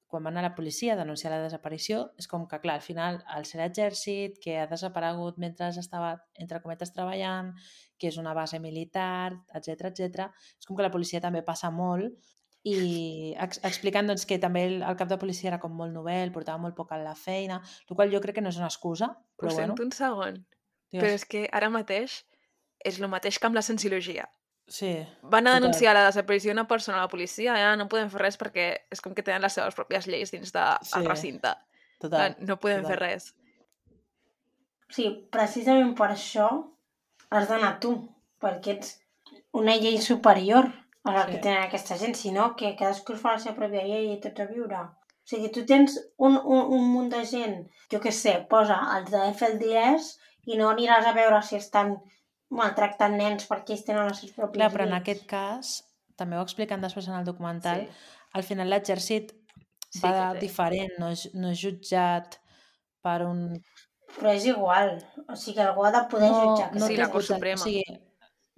quan van a la policia a denunciar la desaparició, és com que, clar, al final, al ser l'exèrcit, que ha desaparegut mentre estava, entre cometes, treballant, que és una base militar, etc etc, és com que la policia també passa molt i explicant doncs, que també el cap de policia era com molt novel, portava molt poc a la feina, el qual jo crec que no és una excusa, però Ho bueno. sento un segon, Digues. però és que ara mateix és el mateix que amb la cienciologia. Sí, Van a total. denunciar la desaparició d'una persona a la policia, ja no podem fer res perquè és com que tenen les seves pròpies lleis dins del Sí, recinte. total. No podem total. fer res. Sí, precisament per això has d'anar tu, perquè ets una llei superior a la que tenen aquesta gent, sinó que cadascú fa la seva pròpia llei i tots a viure. O sigui, tu tens un munt de gent, jo què sé, posa els de FLDS i no aniràs a veure si estan maltractant nens perquè ells tenen les seves pròpies Clar, però en lleis. aquest cas, també ho expliquen després en el documental, Sí. al final l'exèrcit Sí va que té. diferent, no és jutjat per un... Però és igual, o sigui, algú ha de poder jutjar. Sí, té la Cort Suprema. O sigui,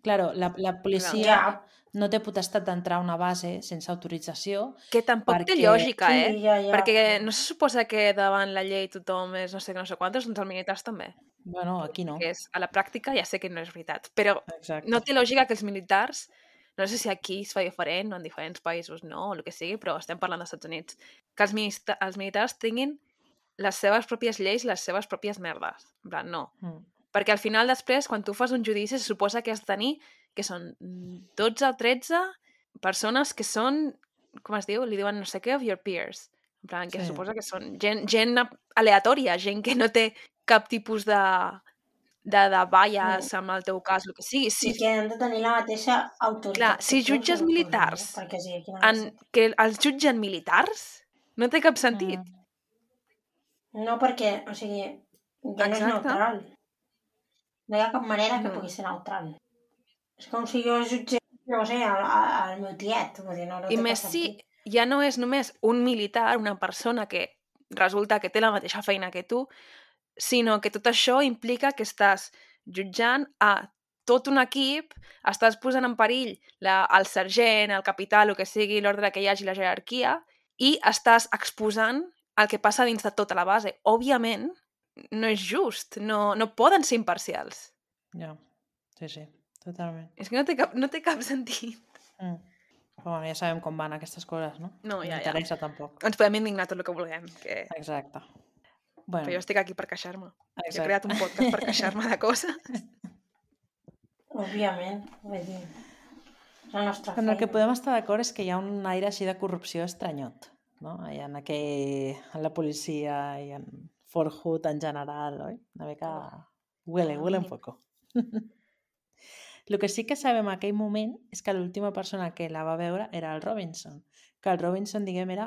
claro, la policia Ja, no té potestat d'entrar a una base sense autorització. Que tampoc té perquè- lògica, sí, ja. Perquè no se suposa que davant la llei tothom és no sé quantos, doncs els militars també. Bueno, aquí no. Que és, a la pràctica ja sé que no és veritat, però Exacte. no té lògica que els militars, no sé si aquí es fa diferent o en diferents països no, o el que sigui, però estem parlant dels Estats Units, que els militars tinguin les seves pròpies lleis, les seves pròpies merdes. En plan, no. Perquè al final després, quan tu fas un judici, se suposa que has de tenir que són 12 o 13 persones que són, com es diu? Li diuen no sé què, of your peers. En plan, que Sí. se suposa que són gent aleatòria, gent que no té cap tipus de bias amb el teu cas, el que sigui. I que han de tenir la mateixa autoritat. Clar, que si tu, jutges suposo, militars no? Perquè sí, aquí no que els jutgen militars, no té cap sentit. No, perquè, o sigui, ja no és Exacte. neutral. No hi ha cap manera que No. pugui ser neutral. És com si jo jutgés, no sé, el meu tiet. Vull dir, no I té més cap si sentit. ja no és només un militar, una persona que resulta que té la mateixa feina que tu, sinó que tot això implica que estàs jutjant a tot un equip, estàs posant en perill el sergent, el capità, el que sigui, l'ordre que hi hagi, la jerarquia, i estàs exposant el que passa dins de tota la base. Òbviament, no és just, no poden ser imparcials. Ja, sí, totalment. És que no té cap sentit. Però bueno, ja sabem com van aquestes coses, no? No, ja. m'interessa tampoc. Ens podem indignar tot el que vulguem, que... Exacte. Bueno, Però jo estic aquí per queixar-me. Jo he exacte. creat un podcast per queixar-me de coses. Òbviament, vull dir, és la nostra En el que feina. podem estar d'acord és que hi ha un aire així de corrupció estranyot, no? Hi ha en la policia i en Fort Hood en general, oi? Una mica... Huele un poco. El que sí que sabem en aquell moment és que l'última persona que la va veure era el Robinson, que el Robinson, diguem, era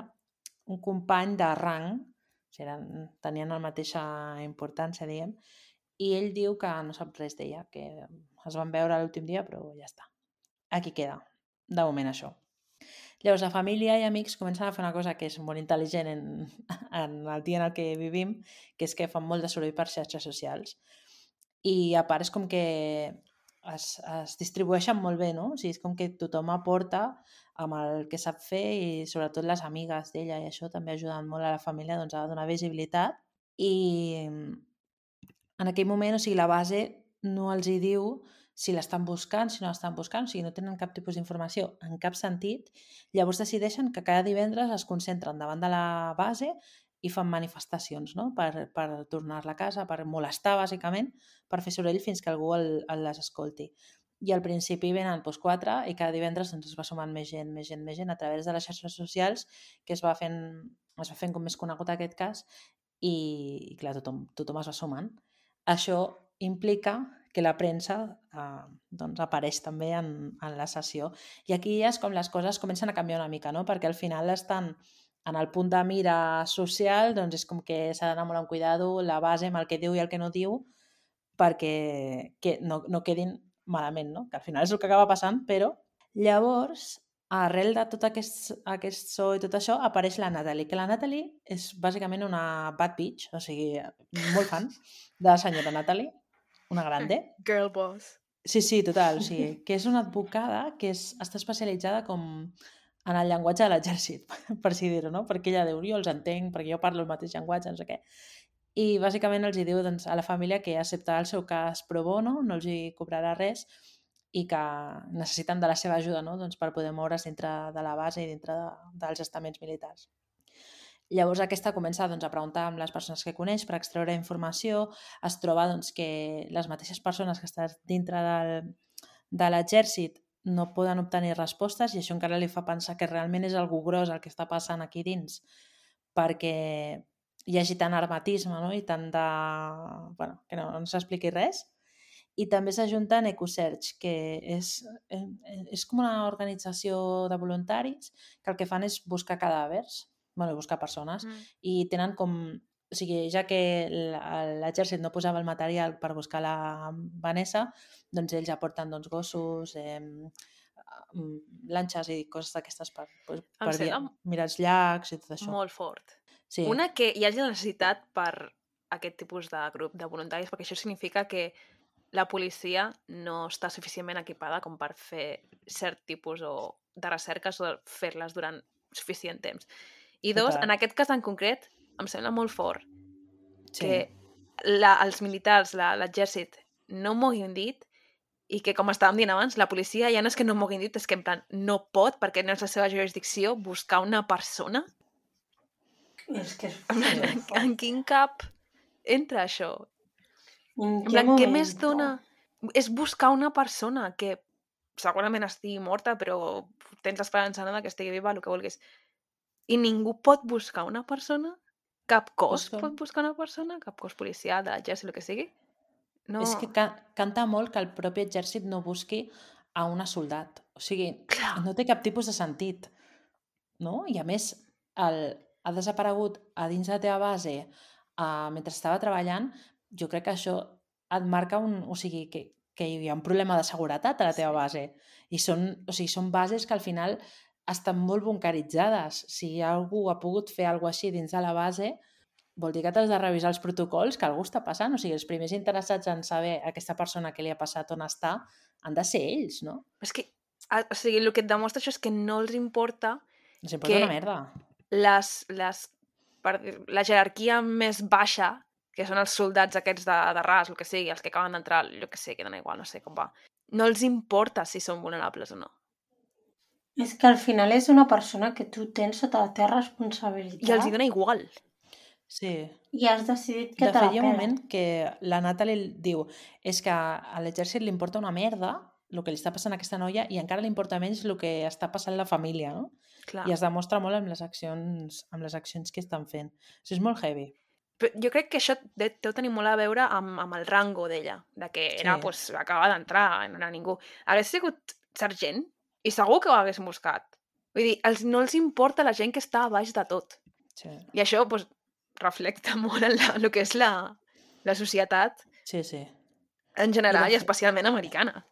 un company de rang, o sigui, tenien la mateixa importància, diguem, i ell diu que no sap res d'ella, que es van veure l'últim dia, però ja està. Aquí queda, de moment, això. Llavors, la família i amics comencen a fer una cosa que és molt intel·ligent en el dia en el que vivim, que és que fan molt de soroll per xarxes socials. I a part és com que es distribueixen molt bé, no? O sigui, és com que tothom aporta amb el que sap fer i sobretot les amigues d'ella i això també ajuden molt a la família doncs, a donar visibilitat. I en aquell moment, o sigui, la base no els hi diu si l'estan buscant, si no l'estan buscant, o sigui, no tenen cap tipus d'informació en cap sentit. Llavors decideixen que cada divendres es concentren davant de la base i fan manifestacions, no? per tornar-la a casa, per molestar, bàsicament, per fer soroll fins que algú les escolti. I al principi venen 4 i cada divendres es va sumant més gent a través de les xarxes socials, que es va fent com més conegut aquest cas i clar, tothom es va sumant. Això implica que la premsa doncs apareix també en la sessió. I aquí ja és com les coses comencen a canviar una mica, no? Perquè al final estan en el punt de mira social, doncs és com que s'ha d'anar molt amb cuidado la base amb el que diu i el que no diu perquè no quedin malament, no? Que al final és el que acaba passant, però llavors, arrel de tot aquest so i tot això, apareix la Natalie, que la Natalie és bàsicament una bad bitch, o sigui, molt fan de la senyora Natalie, una grande. Girl boss. Sí, total, o sigui, que és una advocada que està especialitzada com en el llenguatge de l'exèrcit, per així dir-ho, no? Perquè ella diu, jo els entenc, perquè jo parlo el mateix llenguatge, no sé què. I bàsicament els hi diu doncs, a la família que acceptarà el seu cas pro bono, no els hi cobrarà res i que necessiten de la seva ajuda, no? Doncs per poder moure's dintre de la base i dintre dels estaments militars. Llavors aquesta comença doncs, a preguntar amb les persones que coneix per extreure informació, es troba doncs, que les mateixes persones que estan dintre de l'exèrcit no poden obtenir respostes i això encara li fa pensar que realment és algú gros el que està passant aquí dins, perquè hi hagi tant hermetisme, no? I tant de... Bueno, que no s'expliqui res. I també s'ajunta en EcoSearch, que és com una organització de voluntaris que el que fan és buscar cadàvers, bueno, buscar persones, i tenen com... O sigui, ja que l'exèrcit no posava el material per buscar la Vanessa, doncs ells aporten doncs, gossos, lanxes i coses d'aquestes per mirar els llacs i tot això. Molt fort. Sí. Una, que hi hagi la necessitat per aquest tipus de grup de voluntaris, perquè això significa que la policia no està suficientment equipada com per fer cert tipus de recerques o fer-les durant suficient temps. I dos, en aquest cas en concret, em sembla molt fort que els militars, l'exèrcit, no moguin dit i que, com estàvem dient abans, la policia ja no és que no moguin dit, és que en plan no pot, perquè no és la seva jurisdicció, buscar una persona. És que és... En quin cap entra això? En què més dona? És buscar una persona que segurament estigui morta, però tens l'esperança que estigui viva, el que vulguis. I ningú pot buscar una persona? Cap cos pot buscar una persona? Cap cos policial, de l'exèrcit, el que sigui? No. És que canta molt que el propi exèrcit no busqui a una soldat. O sigui, no té cap tipus de sentit. No? I a més, ha desaparegut a dins de la teva base mentre estava treballant. Jo crec que això et marca o sigui, que hi ha un problema de seguretat a la teva base. I són bases que al final estan molt bunkeritzades. Si algú ha pogut fer alguna cosa així dins de la base, vol dir que t'has de revisar els protocols que algú està passant. O sigui, els primers interessats en saber a aquesta persona què li ha passat, on està, han de ser ells, no? És que, o sigui, el que et demostra això és que no els importa els importa una merda. La jerarquia més baixa, que són els soldats aquests de ras, el que sigui, els que acaben d'entrar, el que sé, que dona igual, no sé com va, no els importa si són vulnerables o no. És que al final és una persona que tu tens sota la teva responsabilitat. I els hi dona igual. Sí. I has decidit que te la pela. De fet, hi ha un pela. moment que la Natalie diu és que a l'exèrcit li importa una merda el que li està passant a aquesta noia i encara li importa menys el que està passant a la família, no? Clar. I es demostra molt amb les accions que estan fent. O sigui, és molt heavy. Però jo crec que això deu tenir molt a veure amb el rango d'ella, de que era, pues, acaba d'entrar, no era ningú. Hagués sigut sergent i segur que ho hagués buscat. Vull dir, no els importa la gent que està a baix de tot. Sí. I això, pues, reflecta molt en el que és la societat en general i especialment americana.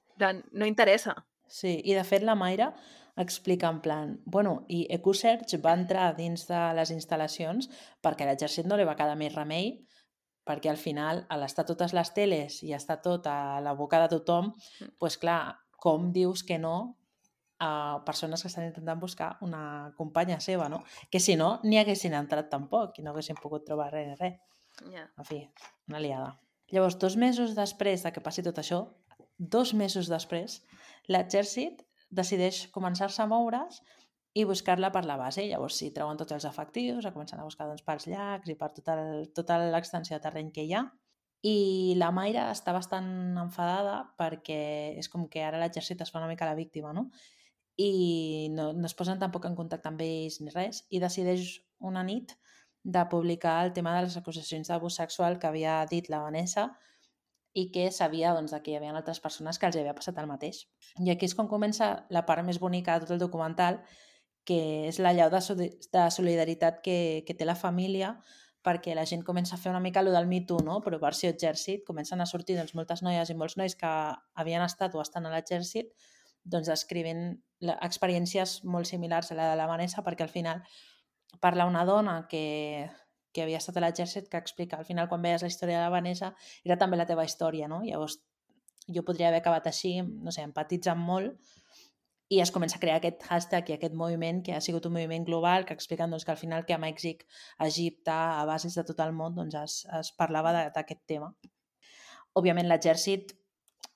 No interessa. Sí, i de fet la Mayra explica en plan, bueno, i EcoSearch va entrar dins de les instal·lacions perquè a l'exèrcit no li va quedar més remei, perquè al final, a l'estar totes les teles i estar tot a la boca de tothom, doncs clar, com dius que no a persones que estan intentant buscar una companya seva, no? Que si no, ni haguessin entrat tampoc i no haguessin pogut trobar res. Yeah. En fi, una liada. Llavors, 2 mesos després de que passi tot això, 2 mesos després, l'exèrcit decideix començar-se a moure's i buscar-la per la base. Llavors, si treuen tots els efectius, comencen a buscar doncs, pels llacs i per tota l'extensió de terreny que hi ha. I la Mayra està bastant enfadada perquè és com que ara l'exèrcit es fa una mica la víctima, no? I no es posen tampoc en contacte amb ells ni res, i decideix una nit de publicar el tema de les acusacions d'abús sexual que havia dit la Vanessa i que sabia doncs, que hi havia altres persones que els havia passat el mateix. I aquí és quan comença la part més bonica de tot el documental, que és la llau de solidaritat que té la família, perquè la gent comença a fer una mica allò del Me Too, no? Però versió exèrcit, comencen a sortir doncs, moltes noies i molts nois que havien estat o estan a l'exèrcit doncs escrivint experiències molt similars a la de la Vanessa, perquè al final parla una dona que havia estat a l'exèrcit que explica al final quan veies la història de la Vanessa era també la teva història, no? Llavors jo podria haver acabat així, no sé, empatitzant molt I es comença a crear aquest hashtag i aquest moviment que ha sigut un moviment global que expliquen doncs, que al final que a Mèxic, a Egipte, a bases de tot el món doncs, es parlava d'aquest tema. Òbviament l'exèrcit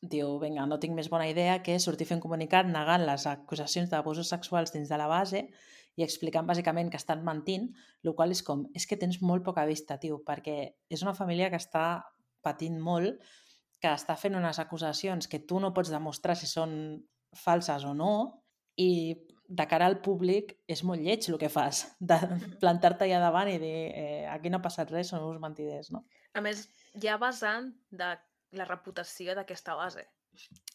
diu, vinga, no tinc més bona idea que sortir a fer un comunicat negant les acusacions d'abusos sexuals dins de la base i explicant bàsicament que estan mentint, el qual és com, és que tens molt poca vista, tio, perquè és una família que està patint molt, que està fent unes acusacions que tu no pots demostrar si són falses o no, i de cara al públic és molt lleig el que fas, de plantar-te allà davant i dir aquí no ha passat res, són uns mentiders, no? A més, ja basant de la reputació d'aquesta base.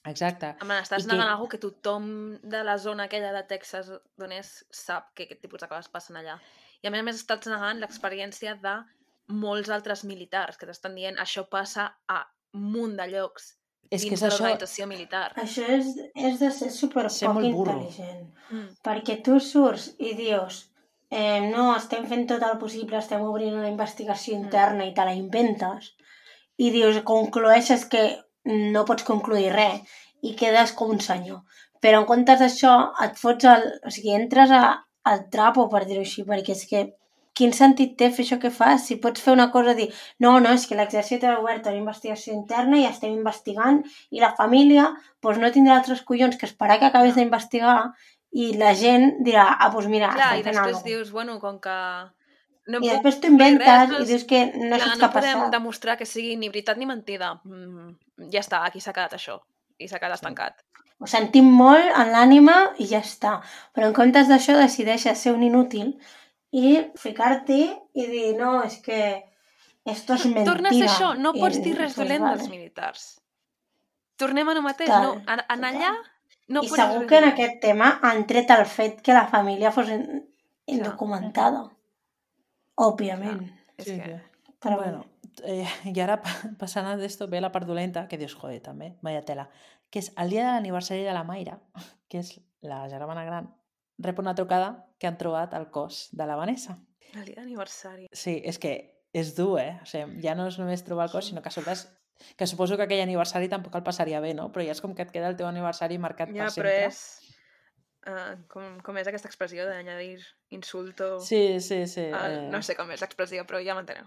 Exacte. En plan, estàs negant alguna que tothom de la zona aquella de Texas d'on és sap que aquest tipus de coses passen allà. I a més estàs negant l'experiència de molts altres militars que t'estan dient això passa a un munt de llocs És que dins és de això, l'organització militar. Això és de ser superpoc Ser molt burro. intel·ligent. Perquè tu surts i dius no, estem fent tot el possible, estem obrint una investigació interna i te la inventes, i dius, conclueixes que no pots concluir res i quedes com un senyor. Però en comptes d'això et fots o sigui, entres al trapo, per dir-ho així, perquè és que quin sentit té fer això que fas? Si pots fer una cosa, dir, no, és que l'exèrcit ha obert una investigació interna i estem investigant i la família doncs no tindrà altres collons que esperar que acabes d'investigar i la gent dirà, doncs mira, Clar, i estem fent després alguna cosa. dius, bueno, com que no I puc després t'ho concluir inventes res, i dius que no clar, saps no què ha podem passat. demostrar que sigui ni veritat ni mentida. Ja està, aquí s'ha quedat això. I s'ha quedat estancat. Ho sentim molt en l'ànima i ja està. Però en comptes d'això decideixes ser un inútil i ficar-t'hi i dir, no, és que esto es mentira. Torna a ser això, no pots dir res pues dolent vale. dels militars. Tornem a no mateix, Total, no. En allà no I pots segur res que en dolent. aquest tema han tret el fet que la família fos indocumentada. Òbviament. És Sí, que... sí. Però Bueno, i ara passant a d'esto ve la part dolenta, que dius, joder, també, vaya tela, que és el dia de l'aniversari de la Mayra, que és la germana gran, rep una trucada que han trobat el cos de la Vanessa. El dia d'aniversari. Sí, és que és dur, O sigui, ja no és només trobar el cos, sinó que a sobre que suposo que aquell aniversari tampoc el passaria bé, no? Però ja és com que et queda el teu aniversari marcat Ja, per però sempre. és... com és aquesta expressió d'añadir insulto... Sí. No sé com és l'expressió, però ja m'enteneu.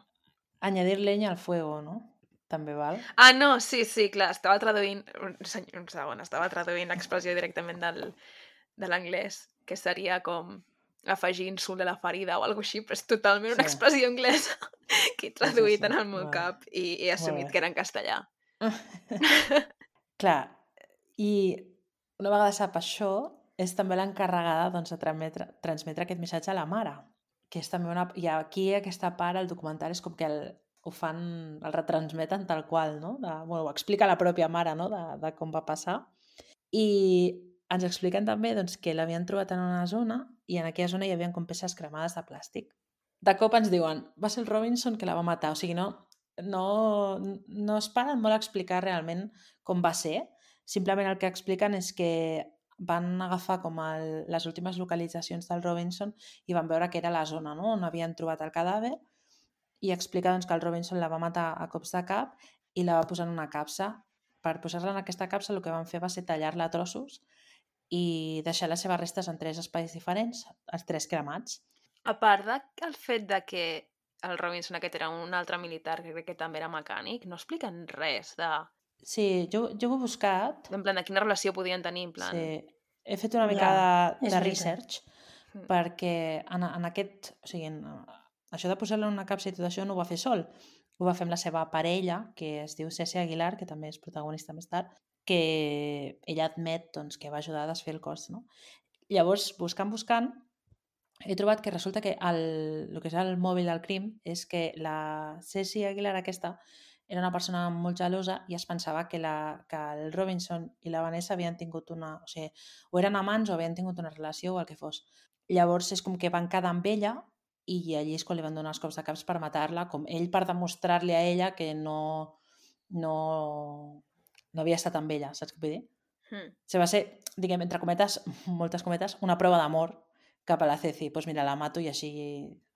Añadir leña al fuego, no? També val. Ah, no, sí, clar, estava traduint... Un segon, estava traduint l'expressió directament de l'anglès, que seria com afegir insult a la ferida o alguna cosa així, però és totalment una expressió anglesa que he traduït en el meu cap i he assumit que era en castellà. Clar, i una vegada sap això, és també l'encarregada doncs, de transmetre aquest missatge a la mare, que és també una... I aquí aquesta part, el documental, és com que ho fan, el retransmeten tal qual, no? Ho explica la pròpia mare, no? De com va passar. I ens expliquen també doncs, que l'havien trobat en una zona i en aquella zona hi havia com peces cremades de plàstic. De cop ens diuen, va ser el Robinson que la va matar. O sigui, no es paren molt a explicar realment com va ser. Simplement el que expliquen és que van agafar com les últimes localitzacions del Robinson i van veure que era la zona, no?, on havien trobat el cadàver, i explica doncs, que el Robinson la va matar a cops de cap i la va posar en una capsa. Per posar-la en aquesta capsa el que van fer va ser tallar-la a trossos i deixar les seves restes en 3 espais diferents, els 3 cremats. A part del fet de que el Robinson aquest era un altre militar que crec que també era mecànic, no expliquen res de... Sí, jo ho he buscat. En plan, de quina relació podien tenir, en plan... Sí, he fet una mica de research perquè en aquest... O sigui, això de posar-la en una capsa i tot això no ho va fer sol. Ho va fer amb la seva parella, que es diu Ceci Aguilar, que també és protagonista més tard, que ella admet doncs, que va ajudar a desfer el cos. No? Llavors, buscant, he trobat que resulta que el que és el mòbil del crim és que la Ceci Aguilar aquesta era una persona molt gelosa i es pensava que el Robinson i la Vanessa havien tingut una... O sigui, o eren amants o havien tingut una relació o el que fos. Llavors és com que van quedar amb ella i allí és quan li van donar els cops de caps per matar-la, com ell per demostrar-li a ella que no havia estat amb ella, saps què vull dir? Se va ser, diguem, entre cometes, moltes cometes, una prova d'amor cap a la Ceci. Doncs mira, la mato i així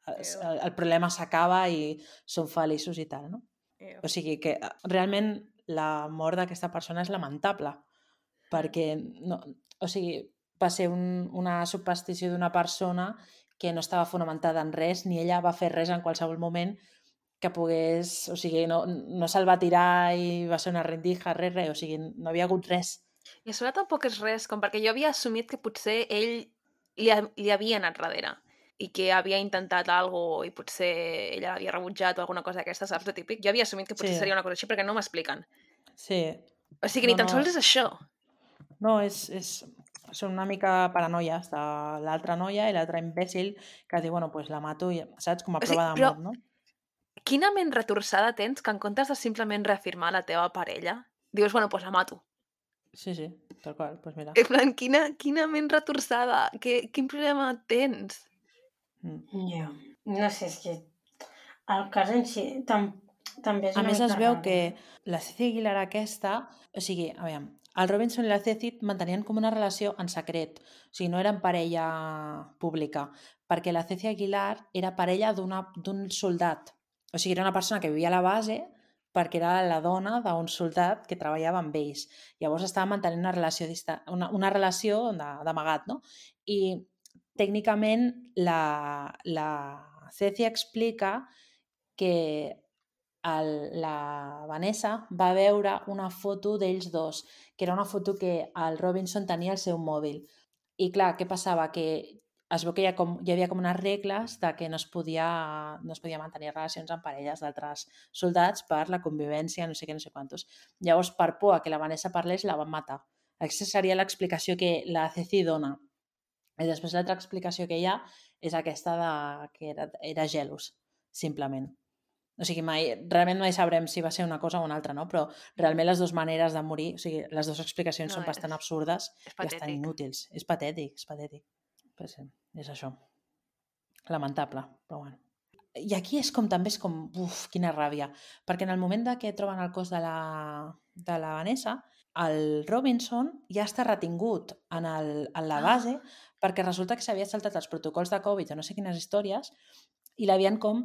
el problema s'acaba i són feliços i tal, no? O sigui que realment la mort d'aquesta persona és lamentable perquè no, o sigui, va ser una superstició d'una persona que no estava fonamentada en res, ni ella va fer res en qualsevol moment que pogués... O sigui, no se'l va tirar i va ser una rendija, res. O sigui, no havia hagut res. I a sobre tampoc és res, com perquè jo havia assumit que potser ell li havia anat darrere i que havia intentat alguna i potser ella l'havia rebutjat o alguna cosa d'aquesta, saps, de típic? Jo havia assumit que potser Sí. seria una cosa així perquè no m'expliquen. Sí. O sigui, ni tan sols és això. No, són una mica paranoies de l'altra noia i l'altra imbècil que diu, bueno, pues la mato, i, saps? Com a prova però d'amor, no? quina ment retorçada tens que en comptes de simplement reafirmar la teva parella, dius, bueno, pues la mato. Sí, tal qual, pues mira. En plan, quina ment retorçada, quin problema tens? Ja. No sé, és que el cas en si també és A una més, mica es veu raro. que la Ceci Aguilar aquesta... O sigui, a veure, el Robinson i la Ceci mantenien com una relació en secret. O sigui, no eren parella pública, perquè la Ceci Aguilar era parella d'un soldat. O sigui, era una persona que vivia a la base perquè era la dona d'un soldat que treballava amb ells. Llavors estava mantenint una relació, una relació d'amagat, no? I tècnicament la Ceci explica que la Vanessa va veure una foto d'ells dos, que era una foto que el Robinson tenia al seu mòbil. I clar, què passava? Que es veu que hi havia com unes regles de que no es podia mantenir relacions amb parelles d'altres soldats per la convivència, no sé què, no sé quantos. Llavors, per por a que la Vanessa parlés, la van matar. Aquesta seria l'explicació que la Ceci dona. I després l'altra explicació que hi ha és aquesta que era gelos, simplement. O sigui, realment mai sabrem si va ser una cosa o una altra, no? Però realment les dues maneres de morir, o sigui, les dues explicacions són bastant absurdes i bastant inútils. És patètic. Però sí, és això. Lamentable, però bueno. I aquí també és com, quina ràbia. Perquè en el moment que troben el cos de la Vanessa, el Robinson ja està retingut en la base perquè resulta que s'havia saltat els protocols de Covid o no sé quines històries i l'havien com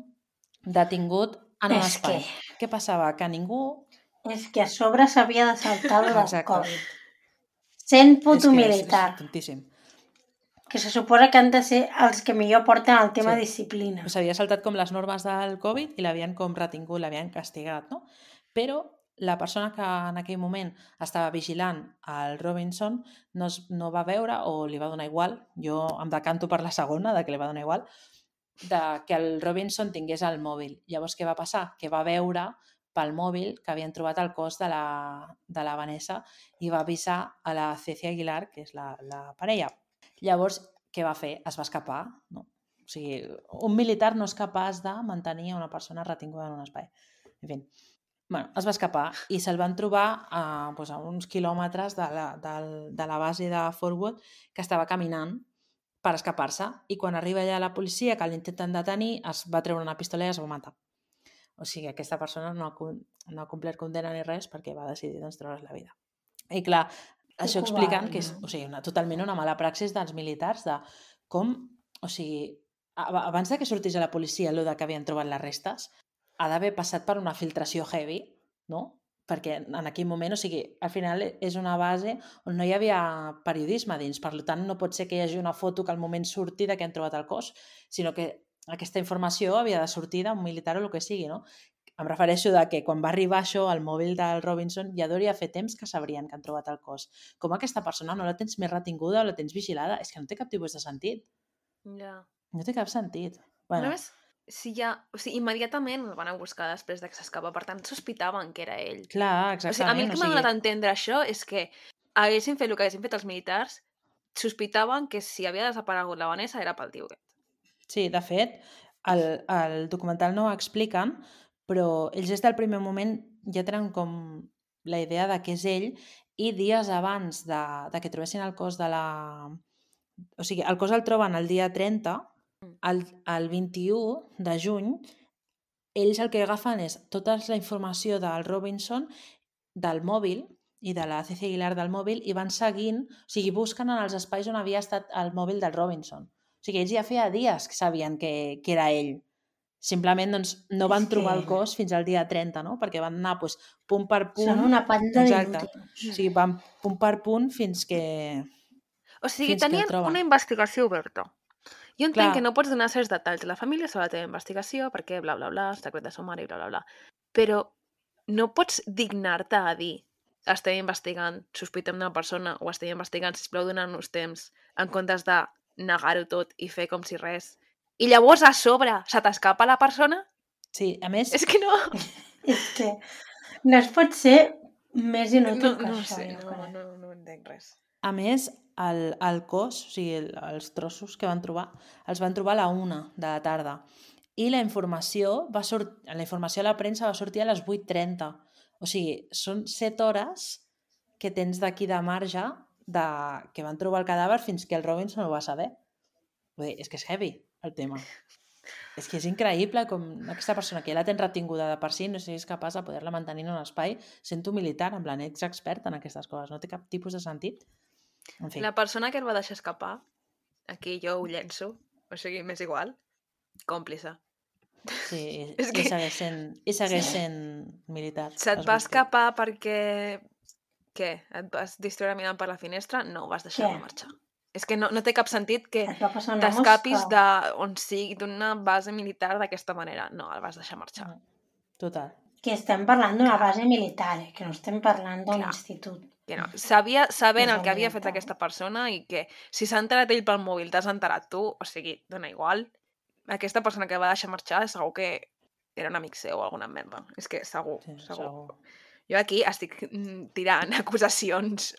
detingut en un espai. Què passava? Que ningú... És que a sobre s'havia de saltar el Exacte. Covid. Sent puto militar. És tontíssim. Que se suposa que han de ser els que millor porten el tema disciplina. S'havia saltat com les normes del Covid i l'havien com retingut, l'havien castigat, no? Però la persona que en aquell moment estava vigilant el Robinson no va veure o li va donar igual, jo em decanto per la segona, de que li va donar igual, de que el Robinson tingués el mòbil. Llavors, què va passar? Que va veure pel mòbil que havien trobat el cos de la Vanessa i va avisar a la Ceci Aguilar, que és la parella. Llavors, què va fer? Es va escapar, no? O sigui, un militar no és capaç de mantenir una persona retinguda en un espai. En fi, bueno, es va escapar i se'l van trobar a uns quilòmetres de la base de Fort Wood, que estava caminant per escapar-se, i quan arriba allà la policia que l'intenten detenir es va treure una pistola i es va matar. O sigui, aquesta persona no ha complert condemna ni res perquè va decidir treure's la vida. I clar, això explicant que és totalment una mala praxis dels militars de com, o sigui, abans que sortís a la policia allò que havien trobat les restes, ha d'haver passat per una filtració heavy, no? Perquè en aquell moment, o sigui, al final és una base on no hi havia periodisme dins, per tant no pot ser que hi hagi una foto que al moment surti de que han trobat el cos, sinó que aquesta informació havia de sortir d'un militar o el que sigui, no? Em refereixo de que quan va arribar això al mòbil del Robinson ja hauria fet temps que sabrien que han trobat el cos. Com aquesta persona no la tens més retinguda o la tens vigilada? És que no té cap tipus de sentit. Ja. No té cap sentit. Bueno. A més, immediatament el van a buscar després que s'escapa, per tant sospitaven que era ell. Clar, exactament. O sigui, a mi el que m'ha donat a entendre això és que haguessin fet el que haguessin fet els militars, sospitaven que si havia desaparegut la Vanessa era pel tio aquest. Sí, de fet, el documental no ho expliquen, però ells des del primer moment ja tenen com la idea de que és ell, i dies abans de que trobessin el cos de la... O sigui, el cos el troben el dia 30, el 21 de juny, ells el que agafen és tota la informació del Robinson, del mòbil i de la Ceci Aguilar del mòbil, i van seguint, o sigui, busquen en els espais on havia estat el mòbil del Robinson. O sigui, ells ja feia dies que sabien que era ell. Simplement doncs, no van trobar el cos fins al dia 30, no? Perquè van anar punt per punt. Són una panda d'inútils. O sigui, van punt per punt fins que... O sigui, Fins que el tenien troben. una investigació oberta. Jo entenc Clar. que no pots donar certs detalls de la família sobre la teva investigació, perquè bla, bla, bla, secret de sumari, bla, bla, bla. Però no pots dignar-te a dir estem investigant, sospitem d'una persona o estem investigant, sisplau, donant-nos temps en comptes de negar-ho tot i fer com si res. I llavors a sobre se t'escapa la persona? Sí, a més, És que no... És que no es pot ser més inútil que No això, sé, jo crec. no entenc res. a més, el cos, o sigui, els trossos que van trobar, els van trobar a la 1 de la tarda. I la informació a la premsa va sortir a les 8:30. O sigui, són 7 hores que tens d'aquí de marge que van trobar el cadàver fins que el Robinson ho va saber. Vull dir, és que és heavy, el tema. És que és increïble com aquesta persona que ja la tens retinguda de per si no siguis capaç de poder-la mantenir en un espai sent un militar, en plan, ets expert en aquestes coses, no té cap tipus de sentit. En fi, La persona que el va deixar escapar, aquí jo ho llenço, o sigui, m'és igual, còmplice. sí, És i que- segueix sent militar. Se't es va busca. escapar perquè... Què? Et vas distreure mirant per la finestra? No, vas deixar-lo Què? marxar. És que no té cap sentit que Et va passar una t'escapis mosca. d'on sigui, d'una base militar d'aquesta manera. No, el vas deixar marxar. Total. Que estem parlant d'una base militar, que no estem parlant d'un Clar. institut. Que no. Sabent És el que havia evident, fet però. aquesta persona i que si s'ha enterat ell pel mòbil, t'has enterat tu, o sigui, dona igual. Aquesta persona que va deixar marxar segur que era un amic seu o alguna merda. És que segur, Sí, segur. segur. Jo aquí estic tirant acusacions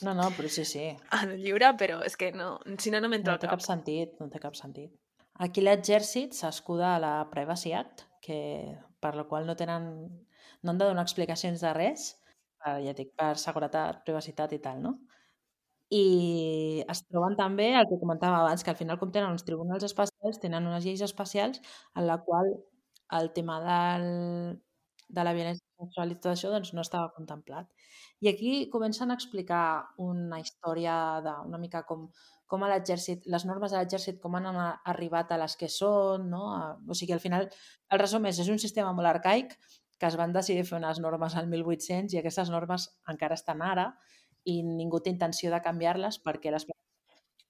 No, però sí. al lliure, però és que no, si no m'entra No al té cap. cap sentit, no té cap sentit. Aquí l'exèrcit s'escuda a la Privacy Act, per la qual no han de donar explicacions de res, ja dic, per seguretat, privacitat i tal, no? I es troben també el que comentàvem abans, que al final, com tenen uns tribunals especials, tenen unes lleis especials en la qual el tema de la violència sexual i tot això doncs, no estava contemplat. I aquí comencen a explicar una història una mica com a l'exèrcit, les normes de l'exèrcit, com han arribat a les que són, no? O sigui, al final, el resum és un sistema molt arcaic que es van decidir fer unes normes al 1800 i aquestes normes encara estan ara i ningú té intenció de canviar-les perquè les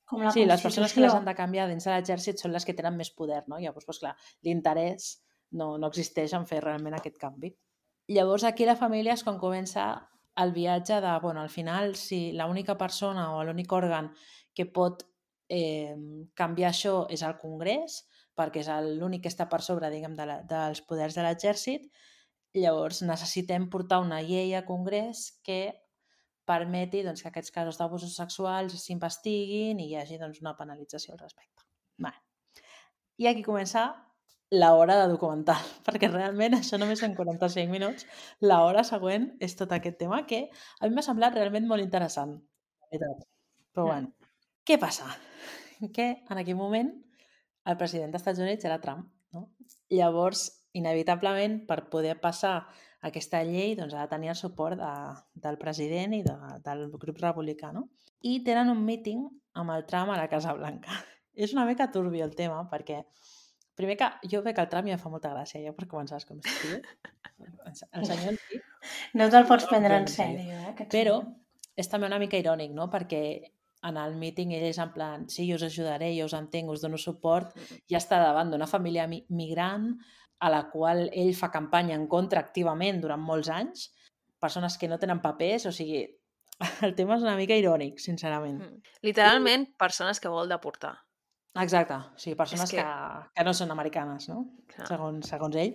Com la sí, les persones que les han Constitució. de canviar dins de l'exèrcit són les que tenen més poder, no? Llavors, doncs, clar, l'interès no existeix en fer realment aquest canvi. Llavors, aquí la família és quan comença el viatge de, bueno, al final, si l'única persona o l'únic òrgan que pot canviar això és el Congrés, perquè és l'únic que està per sobre, diguem, dels poders de l'exèrcit, llavors necessitem portar una llei a Congrés que permeti doncs, que aquests casos d'abusos sexuals s'investiguin i hi hagi doncs, una penalització al respecte. Vale. I aquí comença l'hora de documental, perquè realment això només són 45 minuts. L'hora següent és tot aquest tema que a mi m'ha semblat realment molt interessant. Però bueno, què passa? Que en aquell moment el president dels Estats Units era Trump, no? Llavors, inevitablement, per poder passar aquesta llei doncs, ha de tenir el suport del president i del grup republicà, no? I tenen un meeting amb el Trump a la Casa Blanca. És una mica turbi el tema, perquè primer que jo veig que el Trump ja em fa molta gràcia, ja per començar, com si tio. El senyor en si. No te'l pots No, prendre en en sèrio, aquest Però senyor. és també una mica irònic, no? Perquè en el meeting ell és en plan, sí, jo us ajudaré, jo us entenc, us dono suport, i està davant d'una família migrant a la qual ell fa campanya en contra activament durant molts anys, persones que no tenen papers, o sigui, el tema és una mica irònic, sincerament. Literalment, persones que vol deportar. Exacte, o sigui, persones És que- que no són americanes, no? Clar. Segons ell.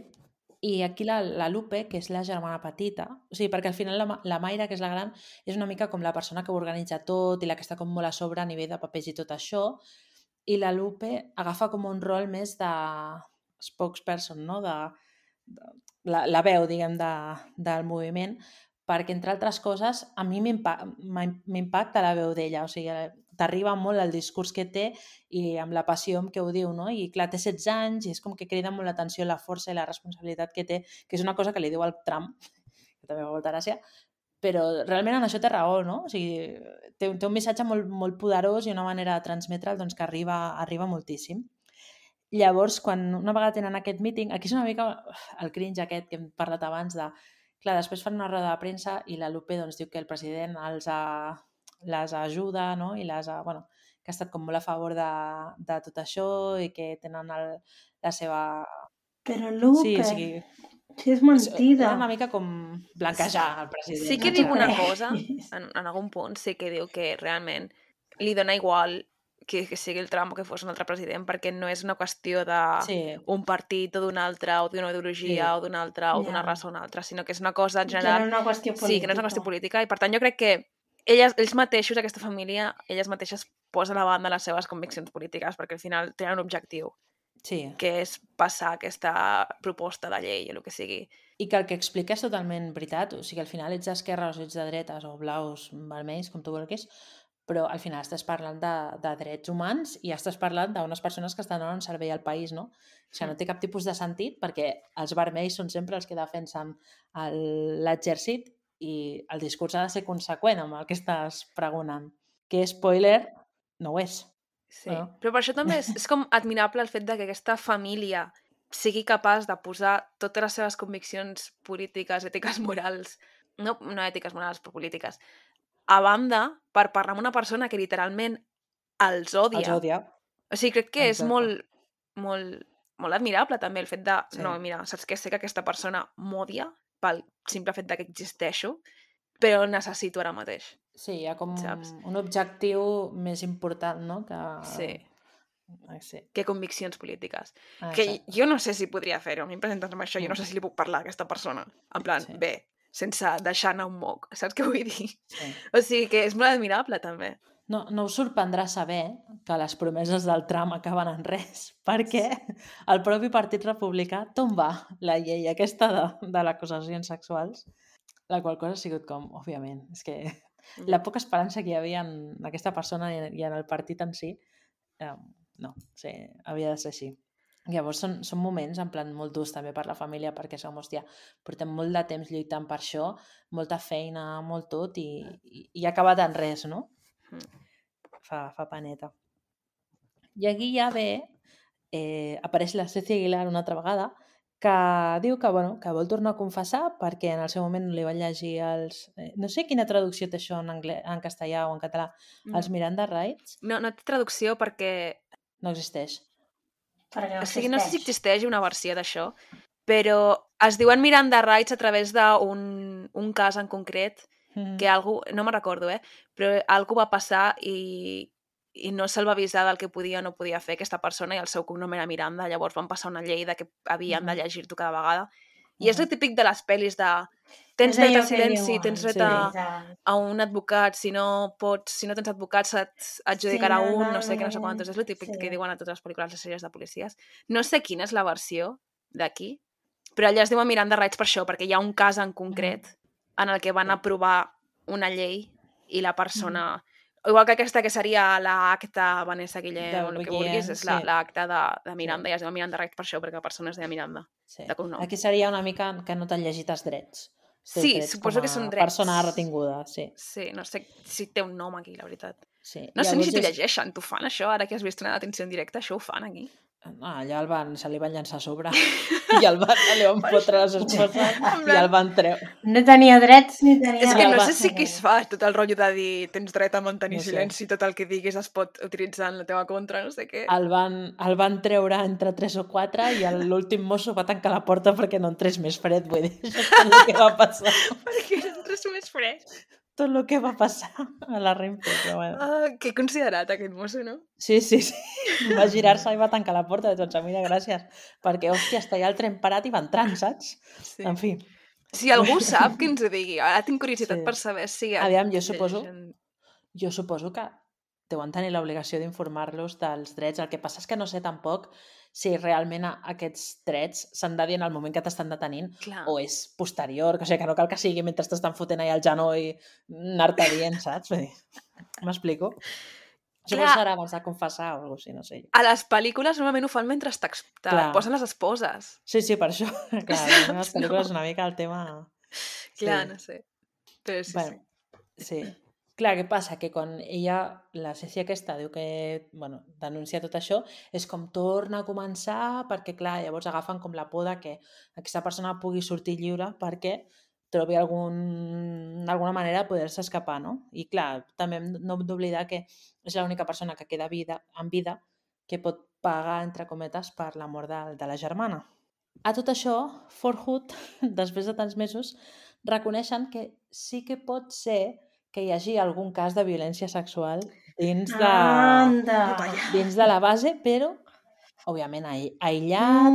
I aquí la Lupe, que és la germana petita, o sigui, perquè al final la Mayra, que és la gran, és una mica com la persona que ho organitza tot i la que està com molt a sobre a nivell de papers i tot això, i la Lupe agafa com un rol més de spokesperson, no? La veu, diguem, del moviment, perquè, entre altres coses, a mi m'impacta la veu d'ella, o sigui, t'arriba molt el discurs que té i amb la passió amb què ho diu, no? I clar, té 16 anys i és com que crida molt l'atenció la força i la responsabilitat que té, que és una cosa que li diu al Trump, que també fa molta gràcia, però realment en això té raó, no? O sigui, té un missatge molt, molt poderós i una manera de transmetre'l doncs, que arriba moltíssim. Llavors, quan una vegada tenen aquest meeting, aquí és una mica el cringe aquest que hem parlat abans de... Clar, després fan una roda de premsa i la Lupe doncs, diu que el president els ha les ajuda, no? I bueno, que ha estat com molt a favor de tot això i que tenen la seva... Però Lupe, o sigui, si és mentida. era una mica com blanquejar el president. Sí que No diu t'ho una crec. cosa, en algun punt, sí que diu que realment li dona igual que sigui el Trump o que fos un altre president, perquè no és una qüestió Sí, d'un partit o d'un altre, o d'una ideologia Sí. o d'una altra, o d'una Ja. raça o una altra, sinó que és una cosa en Que no general... és una qüestió política. Sí, que no és una qüestió política, i per tant jo crec que ells mateixos, aquesta família, elles mateixes posen a banda les seves conviccions polítiques, perquè al final tenen un objectiu, sí. que és passar aquesta proposta de llei o el que sigui. I que el que explica és totalment veritat. O sigui, al final ets d'esquerres o ets de dretes o blaus, vermells, com tu vulguis, però al final estàs parlant de drets humans i estàs parlant d'unes persones que estan donant un servei al país, no? O sigui, no té cap tipus de sentit perquè els vermells són sempre els que defensen l'exèrcit i el discurs ha de ser conseqüent amb el que estàs pregonant. Que spoiler, no ho és. Sí, No? però per això també és com admirable el fet de que aquesta família sigui capaç de posar totes les seves conviccions polítiques, ètiques, morals, no ètiques, morals, però polítiques, a banda per parlar amb una persona que literalment els odia. Els odia. O sigui, crec que és Exacte. molt, molt, molt admirable també el fet de, Sí. no, mira, saps què? Sé que aquesta persona m'odia pel simple fet de que existeixo, però el necessito ara mateix. Sí, hi ha com Saps? un objectiu més important, no? Que... Sí, Sí. que conviccions polítiques. Ah, Que exacte. jo no sé si podria fer-ho. A mi em presenten amb això, jo no sé si li puc parlar a aquesta persona. En plan, Sí. bé, sense deixar anar un moc. Saps què vull dir? Sí. O sigui que és molt admirable, també. No us sorprendrà saber que les promeses del Trump acaben en res, perquè el propi Partit Republicà tomba la llei aquesta de les acusacions sexuals, la qual cosa ha sigut com, òbviament, és que la poca esperança que hi havia en aquesta persona i en el partit en si, no, sí, havia de ser així. Llavors són moments en plan molt durs també per la família perquè som, hòstia, portem molt de temps lluitant per això, molta feina, molt tot i ha acabat en res, no? Fa paneta. I aquí ja ve, apareix la Ceci Aguilar una altra vegada, que diu que, bueno, que vol tornar a confessar perquè en el seu moment li van llegir els... no sé quina traducció té això en castellà o en català, els Miranda Rights. No té traducció perquè... No existeix. Perquè no O sigui, no sé si existeix. existeix una versió d'això, però es diuen Miranda Rights a través d'un cas en concret que algú, no me'n recordo, però algú va passar i no se'l va avisar del que podia o no podia fer aquesta persona i el seu cognom era Miranda, llavors van passar una llei de que havien de llegir-t'ho cada vegada. I és el típic de les pel·lis de tens És dret allò a que silenci, diuen, tens dret sí. a un advocat, si no tens advocat se't adjudicarà Sí, un, no sé què, no sé quantos. És el típic sí. que diuen a totes les pel·lícules de sèries de policies. No sé quina és la versió d'aquí, però allà es diuen Miranda Rights per això, perquè hi ha un cas en concret en el que van aprovar una llei i la persona... Igual que aquesta que seria l'acta Vanessa Guillén o el que vulguis, és l'acta de Miranda, i es diu Miranda Rights per això, perquè la persona es deia Miranda, de cognom. Aquí seria una mica que no t'han llegit els drets. Sí, suposo que són drets. Persona retinguda, sí. Sí, no sé si té un nom aquí, la veritat. Sí. No sé ni si t'ho llegeixen, t'ho fan això, ara que has vist una detenció en directe, això ho fan aquí. Allà se li van llançar a sobre i li van fotre les esposes i el van treure. No tenia drets ni tenia... És que no sé drets. si qui es fa tot el rotllo de dir tens dret a mantenir No sé. silenci, tot el que diguis es pot utilitzar en la teva contra, no sé què. El van treure entre 3 o 4 i l'últim mosso va tancar la porta perquè no entrés més fred, vull dir, això és tot el que va passar. Perquè no entres més fred. Tot el que va passar a la Renfe, però bueno. Que considerat aquest mosso, no? Sí. Va girar-se i va tancar la porta de tots. Mira, gràcies. Perquè, hòstia, està allà el tren parat i va entrant, saps? Sí. En fi. Si algú sap, que ens ho digui. Ara tinc curiositat Sí. per saber si... Aviam, jo suposo que deuen tenir l'obligació d'informar-los dels drets. El que passa és que no sé tampoc si realment aquests drets s'han de dir en el moment que t'estan detenint Clar. o és posterior, o sigui, que no cal que sigui mentre t'estan fotent allà el genoll anar-te dient, saps? Vull dir, m'explico? Suposo que serà abans de confessar o alguna cosa, no sé. A les pel·lícules normalment ho fan mentre Clar. posen les esposes. Sí, per això. Clar, Saps? en les pel·lícules una mica el tema... Clar, no sé. Però sí, bueno, sí. Clar, què passa? Que quan ella, la Ceci aquesta, diu que, bueno, denuncia tot això, és com torna a començar perquè, clar, llavors agafen com la por de que aquesta persona pugui sortir lliure perquè trobi alguna manera de poder-se escapar, no? I clar, també no hem d'oblidar que és l'única persona que queda en vida que pot pagar, entre cometes, per la mort de la germana. A tot això, Fort Hood, després de tants mesos, reconeixen que sí que pot ser que hi hagi algun cas de violència sexual dins de la base, però, òbviament, aïllat,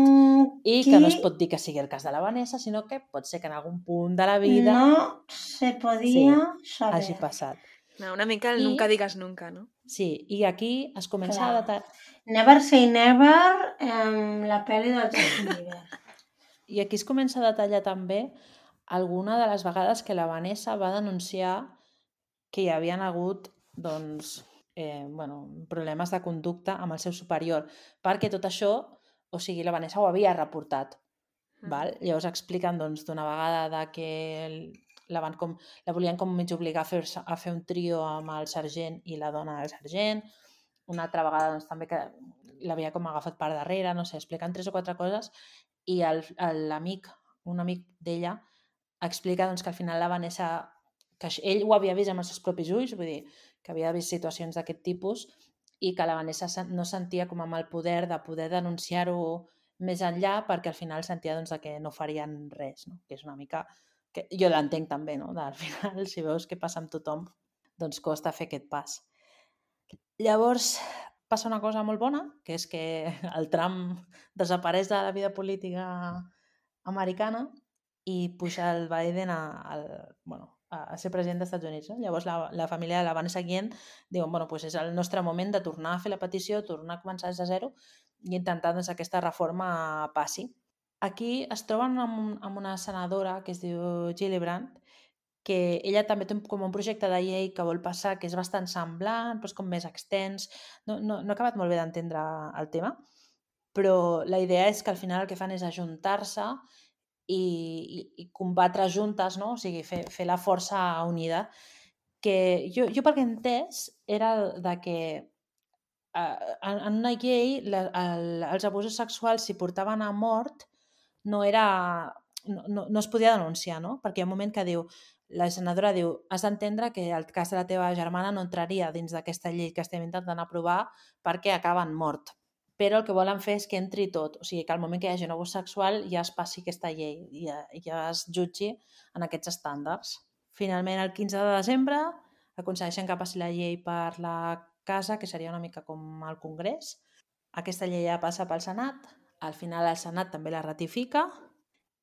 i que no es pot dir que sigui el cas de la Vanessa, sinó que pot ser que en algun punt de la vida no se podia saber. hagi passat. No, una mica el nunca digas nunca, no? Sí, i aquí es comença a detallar... Never say never, la pel·li del Justin Bieber. I aquí es comença a detallar també alguna de les vegades que la Vanessa va denunciar que hi havien hagut doncs, problemes de conducta amb el seu superior, perquè tot això, o sigui, la Vanessa ho havia reportat. Val? Llavors expliquen doncs, d'una vegada de que la volien com mig obligar a fer un trio amb el sergent i la dona del sergent, una altra vegada doncs, també que l'havia com agafat per darrere, no sé, expliquen 3 o 4 coses, i un amic d'ella explica doncs, que al final la Vanessa, que ell ho havia vist amb els seus propis ulls, vull dir, que havia vist situacions d'aquest tipus i que la Vanessa no sentia com amb el poder de poder denunciar-ho més enllà perquè al final sentia doncs, que no farien res, no? Que és una mica... que jo l'entenc també, no? Al final, si veus què passa amb tothom, doncs costa fer aquest pas. Llavors, passa una cosa molt bona, que és que el Trump desapareix de la vida política americana i puja el Biden a ser president dels Estats Units. Llavors la família de la Vanessa Guillen diuen, pues és el nostre moment de tornar a fer la petició, tornar a començar des de zero i intentar doncs, que aquesta reforma passi. Aquí es troben amb una senadora que es diu Gillibrand, que ella també té com un projecte de llei que vol passar, que és bastant semblant, però és com més extens. No he acabat molt bé d'entendre el tema, però la idea és que al final el que fan és ajuntar-se i combatre juntes, no? O sigui, fer la força unida. Que jo pel que he entès era de que en una llei els abusos sexuals, si portaven a mort, no es podia denunciar, no? Perquè hi ha un moment que la senadora diu, has d'entendre que el cas de la teva germana no entraria dins d'aquesta llei que estem intentant aprovar perquè acaba en mort. Però el que volen fer és que entri tot. O sigui, que al moment que hi hagi un abús sexual ja es passi aquesta llei, ja es jutgi en aquests estàndards. Finalment, el 15 de desembre, aconsegueixen que passi la llei per la casa, que seria una mica com el Congrés. Aquesta llei ja passa pel Senat. Al final el Senat també la ratifica